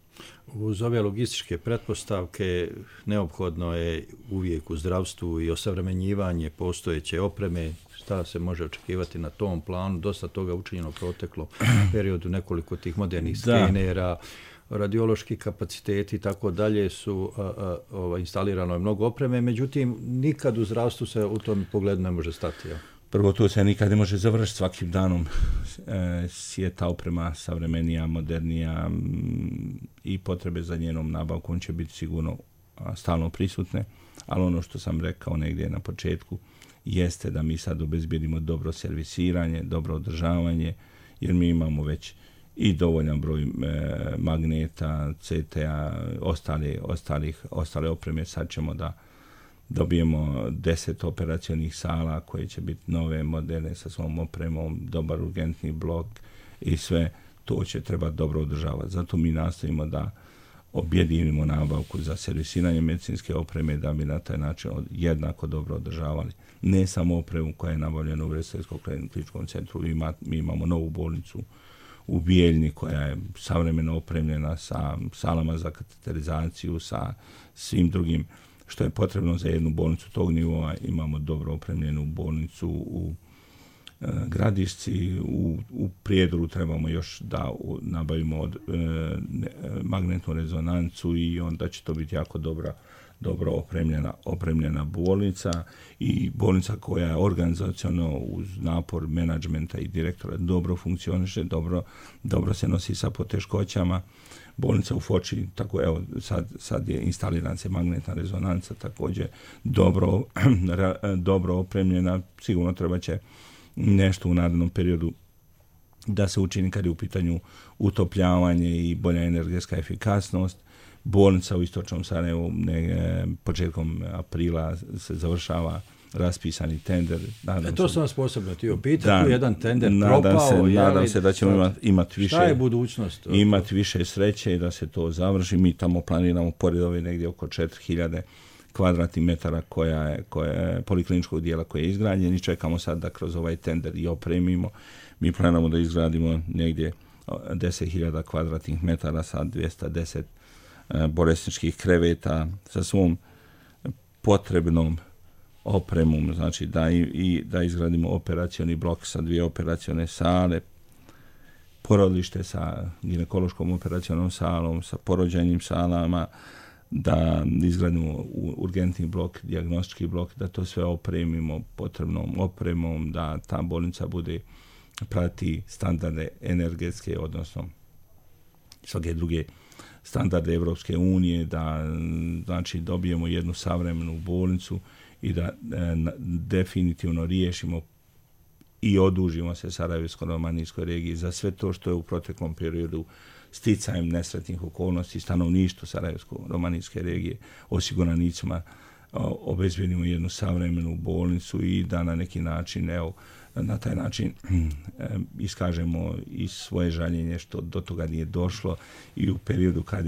Uz ove logističke pretpostavke neophodno je uvijek u zdravstvu i osavremenjivanje postojeće opreme. Šta se može očekivati na tom planu? Dosta toga učinjeno proteklo periodu, nekoliko tih modernih skenera, radiološki kapaciteti i tako dalje su a, a, ova, instalirano je mnogo opreme, međutim nikad u zdravstvu se u tom pogledu ne može stati. Ja. Prvo, to se nikad ne može završiti. Svakim danom e, je ta oprema savremenija, modernija m, i potrebe za njenom nabavkom će biti sigurno a, stalno prisutne, ali ono što sam rekao negdje na početku jeste da mi sad obezbijedimo dobro servisiranje, dobro održavanje, jer mi imamo već i dovoljan broj e, magneta, C T A, ostali, ostalih, ostale opreme. Sad ćemo da dobijemo deset operacionih sala koje će biti nove, moderne, sa svom opremom, dobar urgentni blok i sve to će treba dobro održavati. Zato mi nastavimo da objedinimo nabavku za servisiranje medicinske opreme da bi na taj način jednako dobro održavali ne samo opremu koja je nabavljena u Vrsarskom kliničkom centru. Ima, mi imamo novu bolnicu u Bijeljni koja je savremeno opremljena sa salama za kateterizaciju, sa svim drugim što je potrebno za jednu bolnicu tog nivoa. Imamo dobro opremljenu bolnicu u e, Gradišci, u, u Prijedoru trebamo još da u, nabavimo od, e, ne, magnetnu rezonancu i onda će to biti jako dobra, dobro opremljena, opremljena bolnica i bolnica koja je organizacionalno uz napor menadžmenta i direktora dobro funkcioniše, dobro, dobro se nosi sa poteškoćama. Bolnica u Foči, tako evo, sad, sad je instalirana se magnetna rezonanca, također dobro, dobro opremljena, sigurno treba će nešto u narednom periodu da se učini kad je u pitanju utopljavanje i bolja energetska efikasnost. Bolnica u Istočnom Sarajevu ne, početkom aprila se završava raspisani tender. E, to sam vas posebno htio pitati, tu jedan tender nadam propao. Se, je, nadam se da ćemo imati imat više, šta je budućnost? Imati više sreće i da se to završi. Mi tamo planiramo pored ove negdje oko četiri hiljade kvadratnih metara koja je, koja je polikliničkog dijela koji je izgrađen i čekamo sad da kroz ovaj tender i opremimo. Mi planiramo da izgradimo negdje deset hiljada kvadratnih metara sa dvjesto deset bolesničkih kreveta sa svom potrebnom opremom, znači da, i, i, da izgradimo operacioni blok sa dvije operacione sale, porodilište sa ginekološkom operacionom salom, sa porođajnim salama, da izgradimo urgentni blok, dijagnostički blok, da to sve opremimo potrebnom opremom, da ta bolnica bude prati standarde energetske, odnosno svake druge standarde Evropske unije, da znači dobijemo jednu savremenu bolnicu i da e, definitivno riješimo i odužimo se Sarajevsko-romanijskoj regiji za sve to što je u proteklom periodu sticajem nesretnih okolnosti stanovništvu Sarajevsko-romanijske regije osiguranicima obezbjedimo jednu savremenu bolnicu i da na neki način, evo, na taj način iskažemo i svoje žaljenje što do toga nije došlo i u periodu kad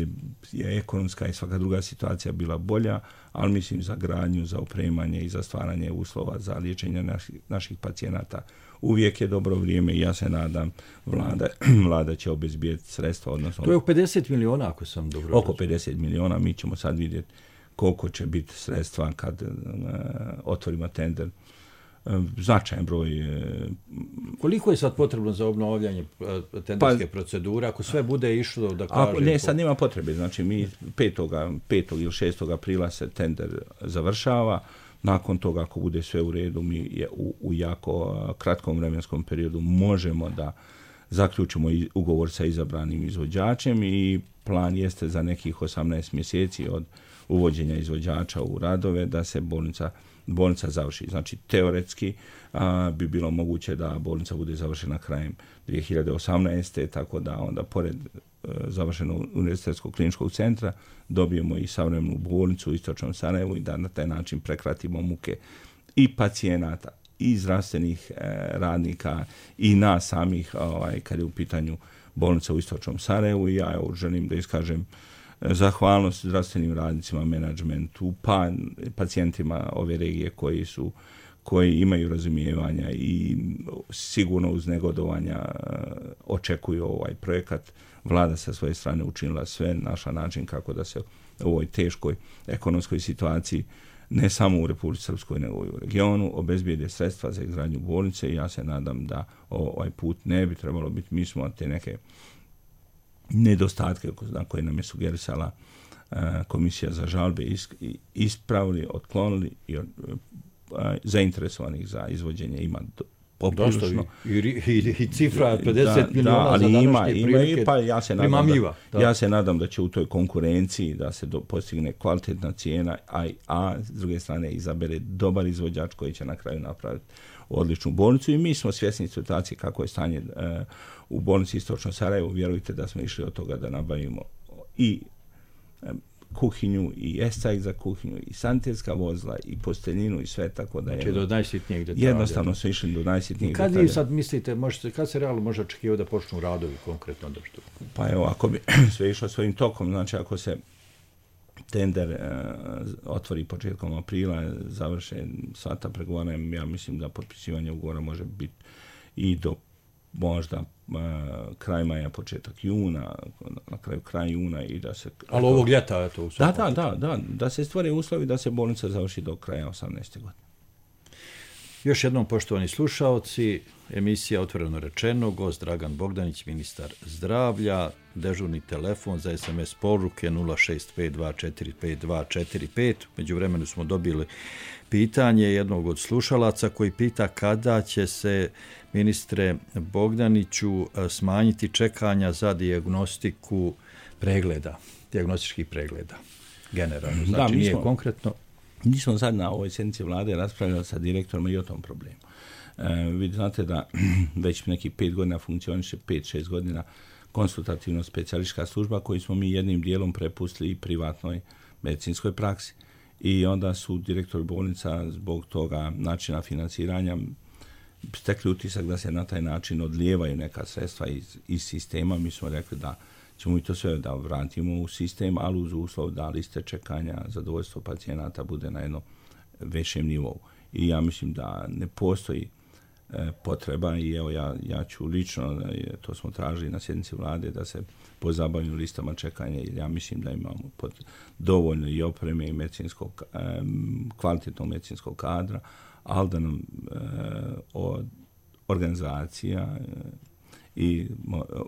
je ekonomska i svaka druga situacija bila bolja, ali mislim za gradnju, za opremanje i za stvaranje uslova za liječenje naših, naših pacijenata uvijek je dobro vrijeme i ja se nadam vlada, vlada će obezbijeti sredstva. Odnosno, to je pedeset miliona ako sam dobro. Oko pedeset miliona, mi ćemo sad vidjeti koliko će biti sredstva kad uh, otvorimo tender. Značajan broj. Koliko je sad potrebno za obnavljanje tenderske pa, procedure, ako sve bude išlo da kažem? Ako, ne, sad nema potrebe. Znači, mi petog ili šestog aprila se tender završava. Nakon toga, ako bude sve u redu, mi je u, u jako kratkom vremenskom periodu možemo da zaključimo ugovor sa izabranim izvođačem i plan jeste za nekih osamnaest mjeseci od uvođenja izvođača u radove da se bolnica bolnica završi. Znači, teoretski a, bi bilo moguće da bolnica bude završena krajem dvije hiljade osamnaeste. Tako da onda, pored a, završenog univerzitetskog kliničkog centra, dobijemo i savremenu bolnicu u Istočnom Sarajevu i da na taj način prekratimo muke i pacijenata, i zdravstvenih e, radnika, i nas samih, ovaj, kad je u pitanju bolnica u Istočnom Sarajevu. I ja evo, želim da iskažem zahvalnost zdravstvenim radnicima, menadžmentu, pa pacijentima ove regije koji su koji imaju razumijevanja i sigurno uz negodovanja očekuju ovaj projekat. Vlada sa svoje strane učinila sve, našla način kako da se u ovoj teškoj ekonomskoj situaciji, ne samo u Republici Srpskoj, nego i u regionu, obezbijede sredstva za izgradnju bolnice i ja se nadam da ovaj put ne bi trebalo biti. Mi smo te neke nedostatke na koje nam je sugerisala uh, komisija za žalbe ispravili, otklonili i uh, zainteresovanih za izvođenje ima poprilično. I, i, i cifra pedeset da, miliona da, ali za ima, ima i pa ja se nadam da, da. ja se nadam da će u toj konkurenciji da se do, postigne kvalitetna cijena, a, a s druge strane izabere dobar izvođač koji će na kraju napraviti odličnu bolnicu i mi smo svjesni situacije kako je stanje uh, u bolnici Istočno Sarajevo. Vjerujte da smo išli od toga da nabavimo i um, kuhinju i escajk za kuhinju i sanitetska vozila i posteljinu i sve, tako da je... Znači do najsitnijeg detalja. Jednostavno su išli do najsitnijeg detalja. Kad vi sad mislite, možete, kad se realno može očekivati da počnu radovi konkretno? Da što... Pa evo, ako bi sve išlo svojim tokom, znači ako se tender e, otvori početkom aprila, završe sva ta pregovaranja, ja mislim da potpisivanje ugovora može biti i do možda uh, kraj maja, početak juna, na kraju kraj juna i da se... Ali ovog ljeta je to u da, da, da, da, da se stvore uslovi da se bolnica završi do kraja osamnaeste godine. Još jednom, poštovani slušaoci, emisija Otvoreno rečeno, gost Dragan Bogdanić, ministar zdravlja, dežurni telefon za es em es poruke nula šest pet dva četiri pet dva četiri pet. Među vremenu smo dobili pitanje jednog od slušalaca koji pita kada će se, ministre Bogdaniću, smanjiti čekanja za dijagnostiku pregleda, dijagnostičkih pregleda generalno. Znači, da, mi nije smo, konkretno. Mi smo sad na ovoj sjednici vlade raspravljali sa direktorom i o tom problemu. E, vi znate da već neki pet godina funkcioniše, pet, šest godina konsultativno specijalistička služba koju smo mi jednim dijelom prepustili i privatnoj medicinskoj praksi. I onda su direktori bolnica zbog toga načina financiranja stekli utisak da se na taj način odlijevaju neka sredstva iz, iz sistema. Mi smo rekli da ćemo i to sve da vratimo u sistem, ali uz uslov da liste čekanja, zadovoljstvo pacijenata bude na jednom većem nivou. I ja mislim da ne postoji e, potreba i evo ja, ja ću lično, to smo tražili na sjednici vlade, da se pozabavimo listama čekanja, jer ja mislim da imamo pod dovoljno i opreme i medicinskog, e, kvalitetnog medicinskog kadra, ali da nam e, od organizacija e, i,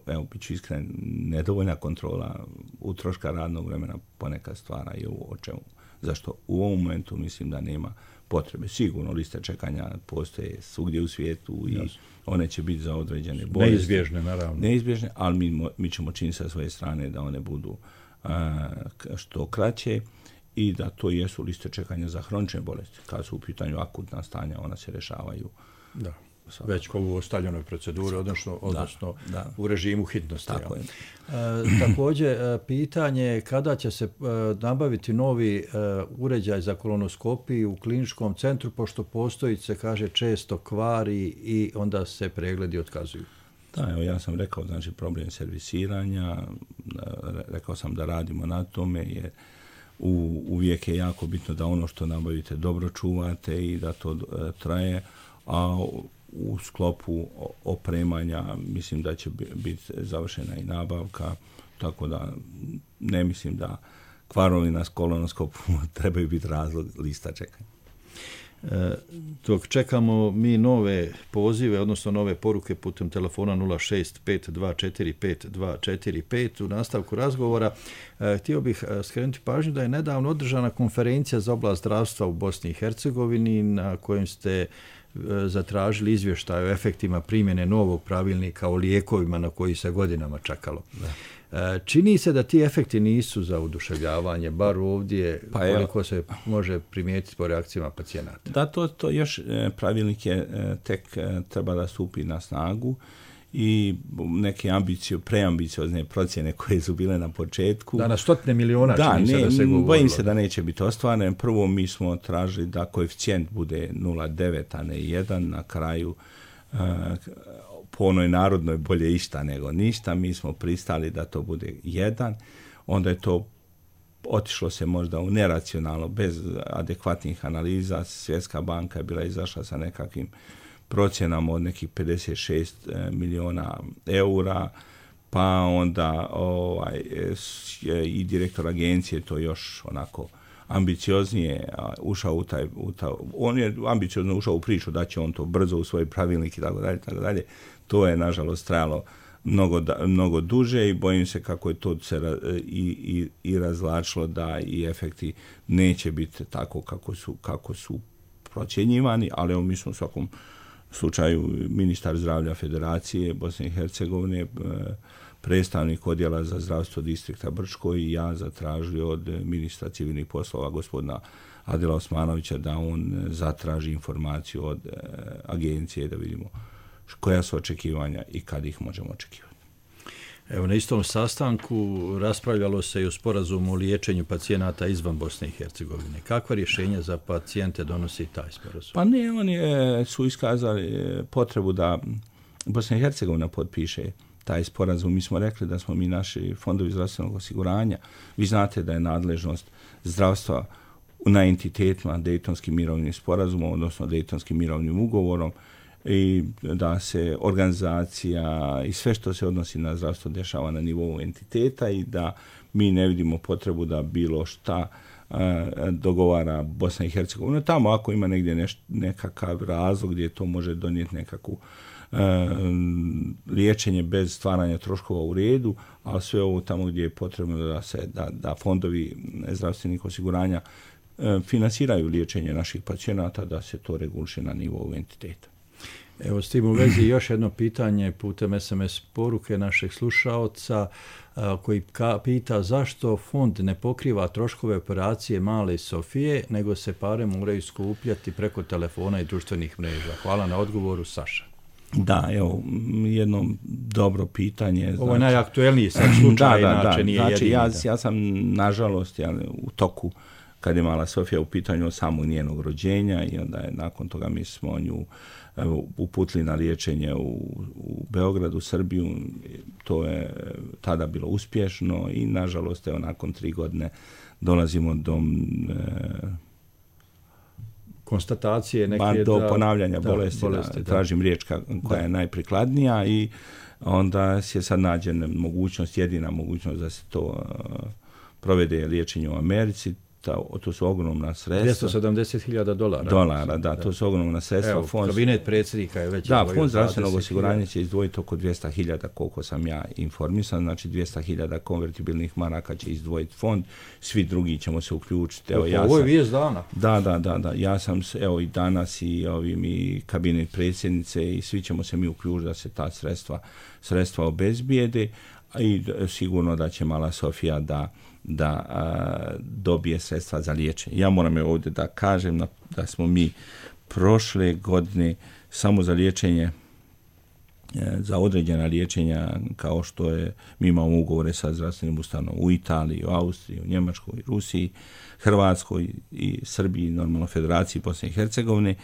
evo, bit ću iskren, nedovoljna kontrola utroška radnog vremena ponekad stvara i ovo o čemu. Zašto u ovom momentu mislim da nema potrebe. Sigurno liste čekanja postoje svugdje u svijetu i Jasne. One će biti za određene bolesti. Neizbježne, naravno. Neizbježne, ali mi, mi ćemo činiti sa svoje strane da one budu a, što kraće i da to jesu liste čekanja za hronične bolesti. Kad su u pitanju akutna stanja, ona se rešavaju. Da. Već kao u ostaljenoj proceduri, odnosno, odnosno da, da. u režimu hitnosti. Tako je. E, također, e, pitanje je kada će se e, nabaviti novi e, uređaj za kolonoskopiju u kliničkom centru, pošto postoji, se kaže, često kvari i onda se pregledi otkazuju. Da, evo, ja sam rekao, znači, problem servisiranja, rekao sam da radimo na tome, jer u, uvijek je jako bitno da ono što nabavite dobro čuvate i da to e, traje, a u sklopu opremanja mislim da će biti završena i nabavka, tako da ne mislim da kvarovi na kolonoskopu trebaju biti razlog lista čekanja. E, dok čekamo mi nove pozive, odnosno nove poruke putem telefona nula šest pet dva četiri pet dva četiri pet u nastavku razgovora, e, htio bih skrenuti pažnju da je nedavno održana konferencija za oblast zdravstva u Bosni i Hercegovini na kojem ste zatražili izvještaj o efektima primjene novog pravilnika o lijekovima na koji se godinama čekalo. Da. Čini se da ti efekti nisu za oduševljavanje, bar ovdje pa koliko je, se može primijetiti po reakcijama pacijenata. Da, to, to još pravilnik je tek treba da stupi na snagu i neke ambicio, preambiciozne procjene koje su bile na početku. Da, na stotine miliona da, čini se ne, da se govorilo. Bojim se da neće biti ostvaren. Prvo mi smo tražili da koeficijent bude nula zarez devet, a ne jedan. Na kraju uh, po onoj narodnoj bolje išta nego ništa. Mi smo pristali da to bude jedan. Onda je to otišlo se možda u neracionalno, bez adekvatnih analiza. Svjetska banka je bila izašla sa nekakvim procjenama od nekih pedeset šest miliona eura, pa onda ovaj, i direktor agencije to još onako ambicioznije ušao u taj, u taj, on je ambiciozno ušao u priču da će on to brzo u svoj pravilnik i tako dalje, tako dalje. To je nažalost trajalo mnogo, mnogo duže i bojim se kako je to se i, i, i razlačilo da i efekti neće biti tako kako su, kako su procjenjivani, ali evo mi smo u svakom slučaju ministar zdravlja Federacije Bosne i Hercegovine, predstavnik odjela za zdravstvo distrikta Brčko i ja zatražili od ministra civilnih poslova gospodina Adila Osmanovića da on zatraži informaciju od agencije da vidimo koja su očekivanja i kad ih možemo očekivati. Evo, na istom sastanku raspravljalo se i o sporazumu o liječenju pacijenata izvan Bosne i Hercegovine. Kakva rješenja za pacijente donosi taj sporazum? Pa ne, oni su iskazali potrebu da Bosna i Hercegovina potpiše taj sporazum. Mi smo rekli da smo mi naši fondovi zdravstvenog osiguranja, vi znate da je nadležnost zdravstva na entitetima Dejtonskim mirovnim sporazumom, odnosno Dejtonskim mirovnim ugovorom, i da se organizacija i sve što se odnosi na zdravstvo dešava na nivou entiteta i da mi ne vidimo potrebu da bilo šta uh, dogovara Bosna i Hercegovina. Tamo ako ima negdje neš, nekakav razlog gdje to može donijeti nekakvu uh, liječenje bez stvaranja troškova u redu, ali sve ovo tamo gdje je potrebno da se da, da fondovi zdravstvenih osiguranja uh, finansiraju liječenje naših pacijenata, da se to reguliše na nivou entiteta. Evo, s tim u vezi još jedno pitanje putem es em es poruke našeg slušaoca a, koji ka, pita zašto fond ne pokriva troškove operacije male Sofije, nego se pare moraju skupljati preko telefona i društvenih mreža. Hvala na odgovoru, Saša. Da, evo, jedno dobro pitanje. Znači, ovo je najaktuelniji sad slučaj, da, da, inače da, nije znači, jedini. Ja, da. ja sam, nažalost, ja, u toku kad je mala Sofija u pitanju samog njenog rođenja i onda je nakon toga mi smo nju evo, uputili na liječenje u, u Beogradu, Srbiju. To je tada bilo uspješno i nažalost evo, nakon tri godine dolazimo do e, konstatacije neke ba, do da, ponavljanja da, bolesti, bolesti da, da. tražim riječ koja da. je najprikladnija i onda je sad nađena mogućnost, jedina mogućnost da se to uh, provede liječenje u Americi. Ta, to su ogromna sredstva. dvjesto sedamdeset hiljada dolara. Dolara, da, da, to su ogromna sredstva. Evo, fond, kabinet predsjednika je već... Da, fond zdravstvenog osiguranja će izdvojiti oko dvjesto hiljada, koliko sam ja informisan, znači dvjesto hiljada konvertibilnih maraka će izdvojiti fond, svi drugi ćemo se uključiti. Evo, ja ovo je sam, vijest dana. Da, da, da, da, ja sam, evo i danas i ovim i kabinet predsjednice i svi ćemo se mi uključiti da se ta sredstva, sredstva obezbijede i sigurno da će mala Sofija da da a, dobije sredstva za liječenje. Ja moram je ovdje da kažem na, da smo mi prošle godine samo za liječenje, e, za određena liječenja kao što je, mi imamo ugovore sa zdravstvenim ustanovom u Italiji, u Austriji, u Njemačkoj, Rusiji, Hrvatskoj i Srbiji, normalno Federaciji Bosne i Hercegovine,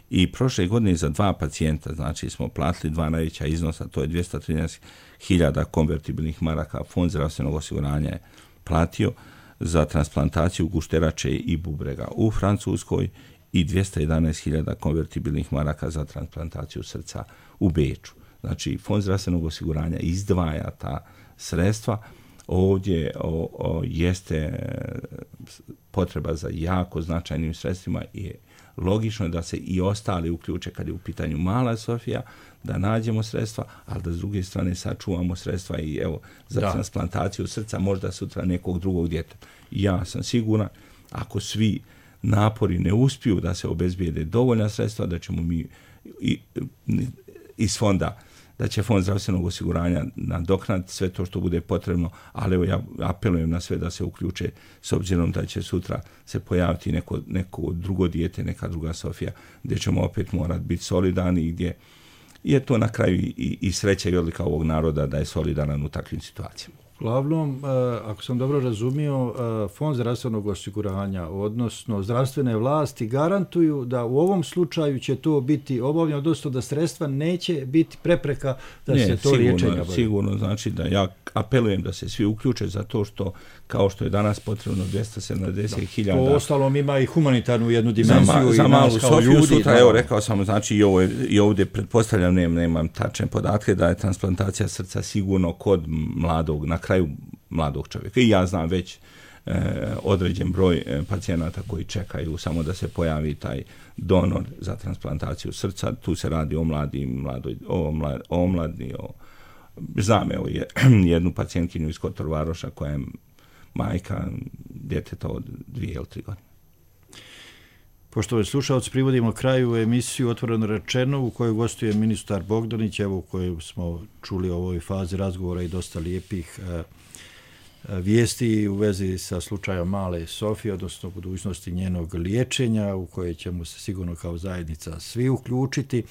i prošle godine za dva pacijenta, znači smo platili dva najveća iznosa, to je dvjesto trinaest hiljada konvertibilnih maraka, fond zdravstvenog osiguranja je platio za transplantaciju gušterače i bubrega u Francuskoj i dvjesto jedanaest hiljada konvertibilnih maraka za transplantaciju srca u Beču. Znači, fond zdravstvenog osiguranja izdvaja ta sredstva. Ovdje o, o, jeste potreba za jako značajnim sredstvima i logično je da se i ostali uključe kad je u pitanju mala Sofija, da nađemo sredstva, ali da s druge strane sačuvamo sredstva i evo za da. transplantaciju srca možda sutra nekog drugog djeteta. Ja sam siguran, ako svi napori ne uspiju da se obezbijede dovoljna sredstva, da ćemo mi i, iz fonda, da će fond zdravstvenog osiguranja nadoknaditi sve to što bude potrebno, ali evo ja apelujem na sve da se uključe s obzirom da će sutra se pojaviti neko, neko drugo dijete, neka druga Sofija, gdje ćemo opet morati biti solidarni i gdje je to na kraju i, i sreća i odlika ovog naroda da je solidaran u takvim situacijama. Uglavnom, ako sam dobro razumio, fond zdravstvenog osiguranja, odnosno zdravstvene vlasti, garantuju da u ovom slučaju će to biti obavljeno, odnosno da sredstva neće biti prepreka da ne, se to sigurno, liječenje bavi. Sigurno, znači da ja apelujem da se svi uključe za to što, kao što je danas potrebno dvjesto sedamdeset hiljada. Po ostalom ima i humanitarnu jednu dimenziju za, i za nas kao Sofiju ljudi. Sutra, da, evo, rekao sam, znači i, ovo, i ovdje pretpostavljam, nemam, nemam tačne podatke, da je transplantacija srca sigurno kod mladog, na kraju mladog čovjeka. I ja znam već e, određen broj e, pacijenata koji čekaju samo da se pojavi taj donor za transplantaciju srca. Tu se radi o mladi, mladoj, o, mlad, o mladni, o... Znam, evo, je, jednu pacijentkinju iz Kotor-Varoša koja je majka djeteta od dvije ili tri godine. Poštovani slušalci, privodimo kraju emisiju Otvoreno rečeno u kojoj gostuje ministar Bogdanić, evo u kojoj smo čuli u ovoj fazi razgovora i dosta lijepih e, vijesti u vezi sa slučajem male Sofije, odnosno budućnosti njenog liječenja u koje ćemo se sigurno kao zajednica svi uključiti.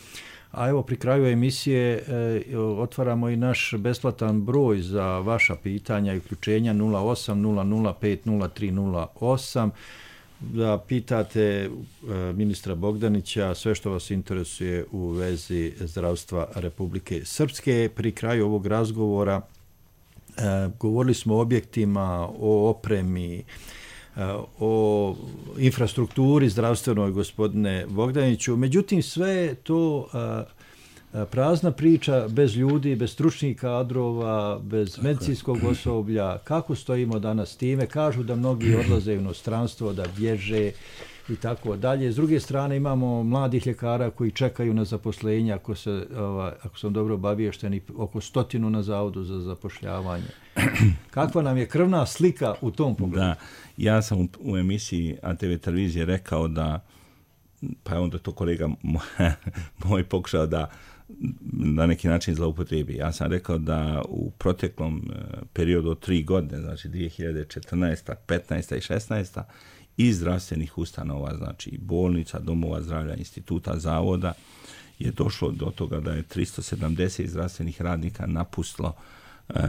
A evo pri kraju emisije e, otvaramo i naš besplatan broj za vaša pitanja i uključenja nula osam nula nula pet nula tri nula osam. Da pitate e, ministra Bogdanića sve što vas interesuje u vezi zdravstva Republike Srpske. Pri kraju ovog razgovora e, govorili smo o objektima, o opremi, o infrastrukturi zdravstvenoj, gospodine Bogdaniću. Međutim, sve je to a, a, prazna priča bez ljudi, bez stručnih kadrova, bez medicinskog osoblja. Kako stojimo danas s time? Kažu da mnogi odlaze u inostranstvo, da bježe i tako dalje. S druge strane imamo mladih ljekara koji čekaju na zaposlenje, ako, se, ova, ako sam dobro obaviješteni, oko stotinu na zavodu za zapošljavanje. Kakva nam je krvna slika u tom pogledu? Da, ja sam u, u emisiji A T V televizije rekao da, pa je onda to kolega moj, moj pokušao da na neki način zloupotrebi. Ja sam rekao da u proteklom periodu od tri godine, znači dvije hiljade četrnaesta, petnaesta i šesnaesta, iz zdravstvenih ustanova, znači bolnica, domova zdravlja, instituta, zavoda, je došlo do toga da je tristo sedamdeset zdravstvenih radnika napustilo e,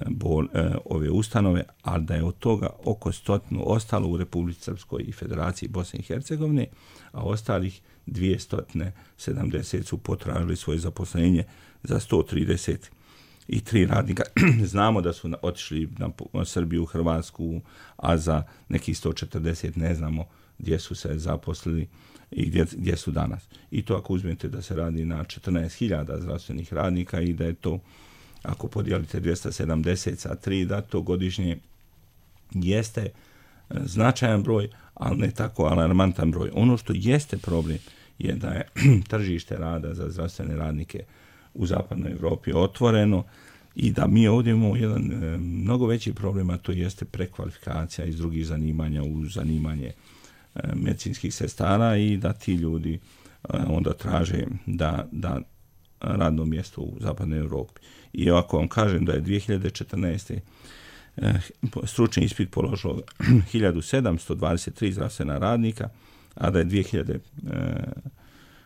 bol, e, ove ustanove, a da je od toga oko stotinu ostalo u Republici Srpskoj i Federaciji Bosne i Hercegovine, a ostalih dvjesto sedamdeset su potražili svoje zaposlenje za sto trideset i tri radnika. Znamo da su otišli na Srbiju, Hrvatsku, a za nekih sto četrdeset ne znamo gdje su se zaposlili i gdje, gdje su danas. I to ako uzmete da se radi na četrnaest hiljada zdravstvenih radnika i da je to, ako podijelite dvjesto sedamdeset sa tri, da to godišnje jeste značajan broj, ali ne tako alarmantan broj. Ono što jeste problem je da je tržište rada za zdravstvene radnike u zapadnoj Evropi otvoreno i da mi ovdje imamo jedan e, mnogo veći problem, a to jeste prekvalifikacija iz drugih zanimanja u zanimanje e, medicinskih sestara i da ti ljudi e, onda traže da, da radno mjesto u zapadnoj Evropi. I ako vam kažem da je dvije hiljade četrnaeste. E, stručni ispit položilo hiljadu sedamsto dvadeset tri zdravstvena radnika, a da je dvije hiljade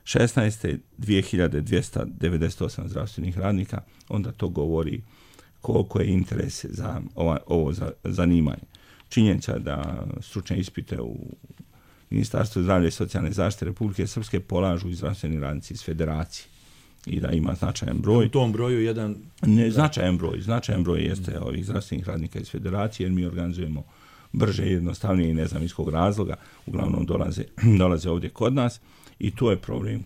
šesnaeste. dvije hiljade dvjesto devedeset osam zdravstvenih radnika, onda to govori koliko je interes za ova, ovo za, zanimanje. Činjenica da stručne ispite u Ministarstvu zdravlja i socijalne zaštite Republike Srpske polažu i zdravstveni radnici iz Federacije i da ima značajan broj. U tom broju jedan... Ne, značajan broj, značajan broj jeste ovih zdravstvenih radnika iz Federacije, jer mi organizujemo brže, jednostavnije i ne znam iz kog razloga, uglavnom dolaze, dolaze ovdje kod nas i to je problem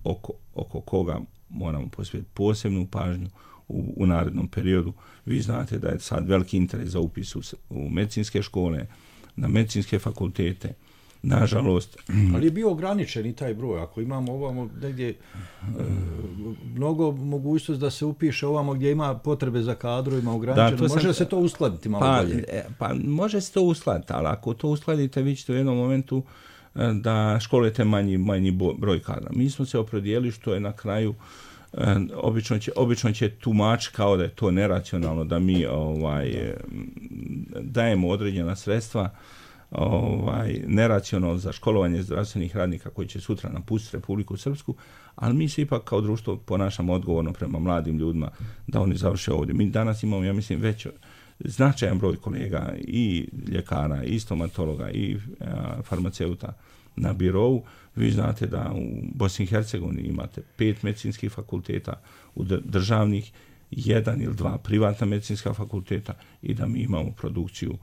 oko, oko koga moramo posvetiti posebnu pažnju u, u narednom periodu. Vi znate da je sad veliki interes za upis u, u medicinske škole, na medicinske fakultete. Nažalost. Ali je bio ograničen i taj broj. Ako imamo ovamo negdje e, mnogo mogućnost da se upiše ovamo gdje ima potrebe za kadrovima ograničeno, da, može sam, se to uskladiti malo pa, bolje? Pa može se to uskladiti, ali ako to uskladite, vi ćete u jednom momentu da školujete manji, manji broj kadra. Mi smo se opredijeli što je na kraju obično će, obično će tumač kao da je to neracionalno, da mi ovaj, dajemo određena sredstva ovaj, neracionalno za školovanje zdravstvenih radnika koji će sutra napustiti Republiku Srpsku, ali mi se ipak kao društvo ponašamo odgovorno prema mladim ljudima da oni završe ovdje. Mi danas imamo, ja mislim, već značajan broj kolega i ljekara, i stomatologa, i a, farmaceuta na birovu. Vi znate da u Bosni i Hercegovini imate pet medicinskih fakulteta u državnih, jedan ili dva privatna medicinska fakulteta i da mi imamo produkciju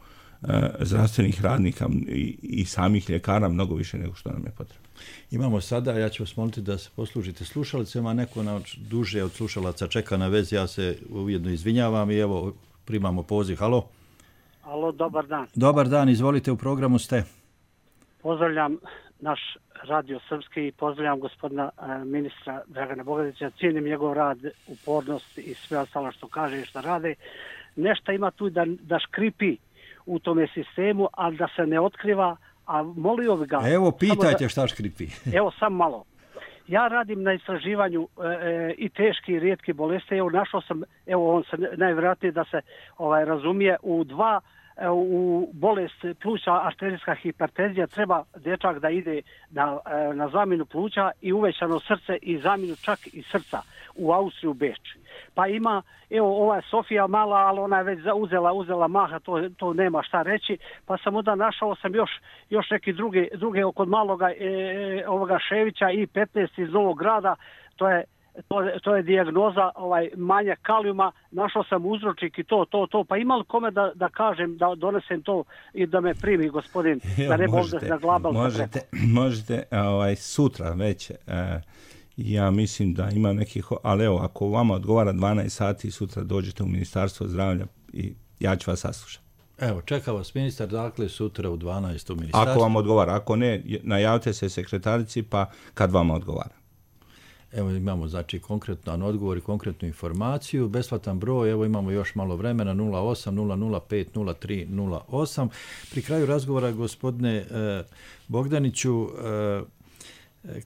zdravstvenih radnika i, i samih ljekara mnogo više nego što nam je potrebno. Imamo sada, ja ću vas moliti da se poslužite slušalicama, neko na duže od slušalaca čeka na vezi, ja se ujedno izvinjavam i evo primamo poziv. Halo? Halo, dobar dan. Dobar dan, izvolite, u programu ste. Pozdravljam naš Radio Srpski i pozdravljam gospodina e, ministra Dragana Bogdanića, cijenim njegov rad, upornost i sve ostalo što kaže i što rade. Nešto ima tu da, da škripi u tome sistemu, ali da se ne otkriva, a molio bi ga... Evo, pitajte da, šta škripi. Evo, sam malo. Ja radim na istraživanju e, i teški i rijetki bolesti. Evo, našao sam, evo, on se najvjerojatnije da se ovaj, razumije, u dva u bolest pluća, arterijska hipertenzija, treba dječak da ide na, na zamjenu pluća i uvećano srce i zamjenu čak i srca u Austriju, Beč. Pa ima, evo, ova Sofija mala, ali ona je već uzela, uzela maha, to, to nema šta reći, pa sam onda našao sam još, još neki druge, druge kod maloga e, ovoga Ševića i petnaest iz Novog Grada, to je To je, to je dijagnoza ovaj, manjak kalijuma, našao sam uzročnik i to, to, to, pa ima li kome da, da kažem, da donesem to i da me primi gospodin, Evo, da ne možete, možda na glabal. Možete, možete ovaj, sutra već, eh, ja mislim da ima nekih, ali evo, ako vama odgovara dvanaest sati, sutra dođete u Ministarstvo zdravlja i ja ću vas saslušati. Evo, čeka vas ministar, dakle, sutra u dvanaest u ministarstvu. Ako vam odgovara, ako ne, najavite se sekretarici, pa kad vama odgovara. Evo imamo znači konkretan odgovor i konkretnu informaciju, besplatan broj, evo imamo još malo vremena, nula osam nula nula pet nula tri nula osam. Pri kraju razgovora, gospodine eh, Bogdaniću, eh,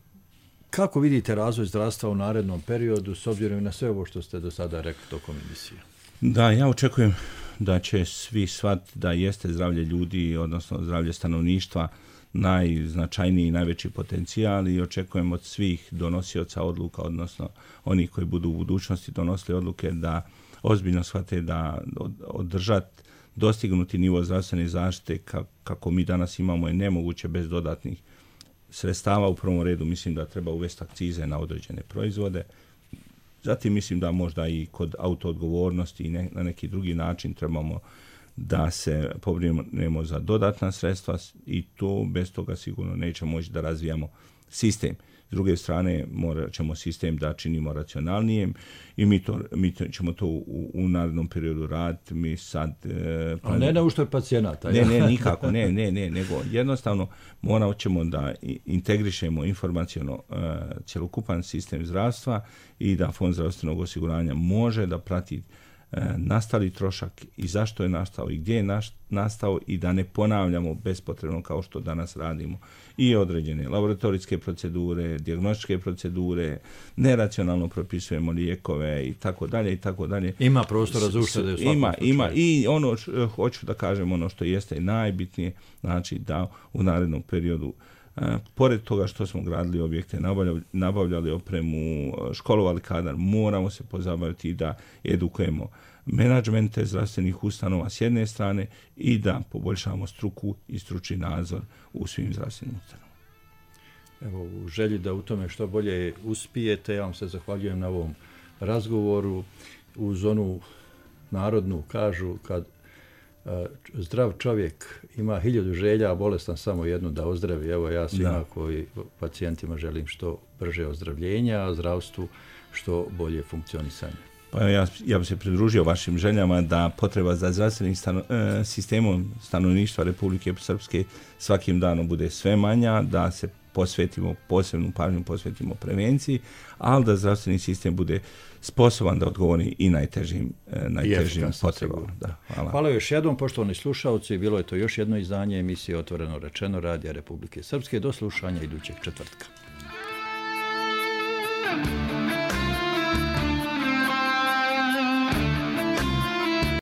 kako vidite razvoj zdravstva u narednom periodu s obzirom na sve ovo što ste do sada rekli tokom emisije? Da, ja očekujem da će svi shvatiti da jeste zdravlje ljudi, odnosno zdravlje stanovništva, najznačajniji i najveći potencijal i očekujem od svih donosioca odluka, odnosno onih koji budu u budućnosti donosili odluke da ozbiljno shvate da održati dostignuti nivo zdravstvene zaštite kako mi danas imamo je nemoguće bez dodatnih sredstava. U prvom redu mislim da treba uvesti akcize na određene proizvode. Zatim mislim da možda i kod autoodgovornosti i ne, na neki drugi način trebamo da se pobrinemo za dodatna sredstva i to bez toga sigurno nećemo moći da razvijamo sistem. S druge strane, morat ćemo sistem da činimo racionalnijem i mi, to, mi to, ćemo to u, u narednom periodu raditi. Mi sad... E, A ne na uštrb pacijenata. Ne, ne, nikako, ne, ne, ne, nego jednostavno morat ćemo da integrišemo informaciono e, cjelokupan sistem zdravstva i da Fond zdravstvenog osiguranja može da prati nastali trošak i zašto je nastao i gdje je nastao i da ne ponavljamo bespotrebno kao što danas radimo i određene laboratorijske procedure, dijagnostičke procedure, neracionalno propisujemo lijekove i tako dalje i tako dalje. Ima prostora za uštede u svakom ima, slučaju. Ima i ono š, hoću da kažem ono što jeste najbitnije, znači da u narednom periodu Uh, pored toga što smo gradili objekte, nabavljali, nabavljali opremu, školovali kadar, moramo se pozabaviti i da edukujemo menadžmente zdravstvenih ustanova s jedne strane i da poboljšamo struku i stručni nadzor u svim zdravstvenim ustanovama. Evo, u želji da u tome što bolje uspijete, ja vam se zahvaljujem na ovom razgovoru. Uz onu narodnu kažu kad zdrav čovjek ima hiljadu želja, a bolestan samo jednu da ozdravi. Evo ja svima da. koji pacijentima želim što brže ozdravljenja, a zdravstvu što bolje funkcionisanje. Pa ja, ja bih se pridružio vašim željama da potreba za zdravstvenim stano, e, sistemom stanovništva Republike Srpske svakim danom bude sve manja, da se posvetimo, posebnu pažnju posvetimo prevenciji, ali da zdravstveni sistem bude sposoban da odgovori i najtežim, najtežim potrebama. Da, hvala. Hvala još jednom, poštovani slušalci. Bilo je to još jedno izdanje emisije Otvoreno rečeno Radija Republike Srpske. Do slušanja idućeg četvrtka.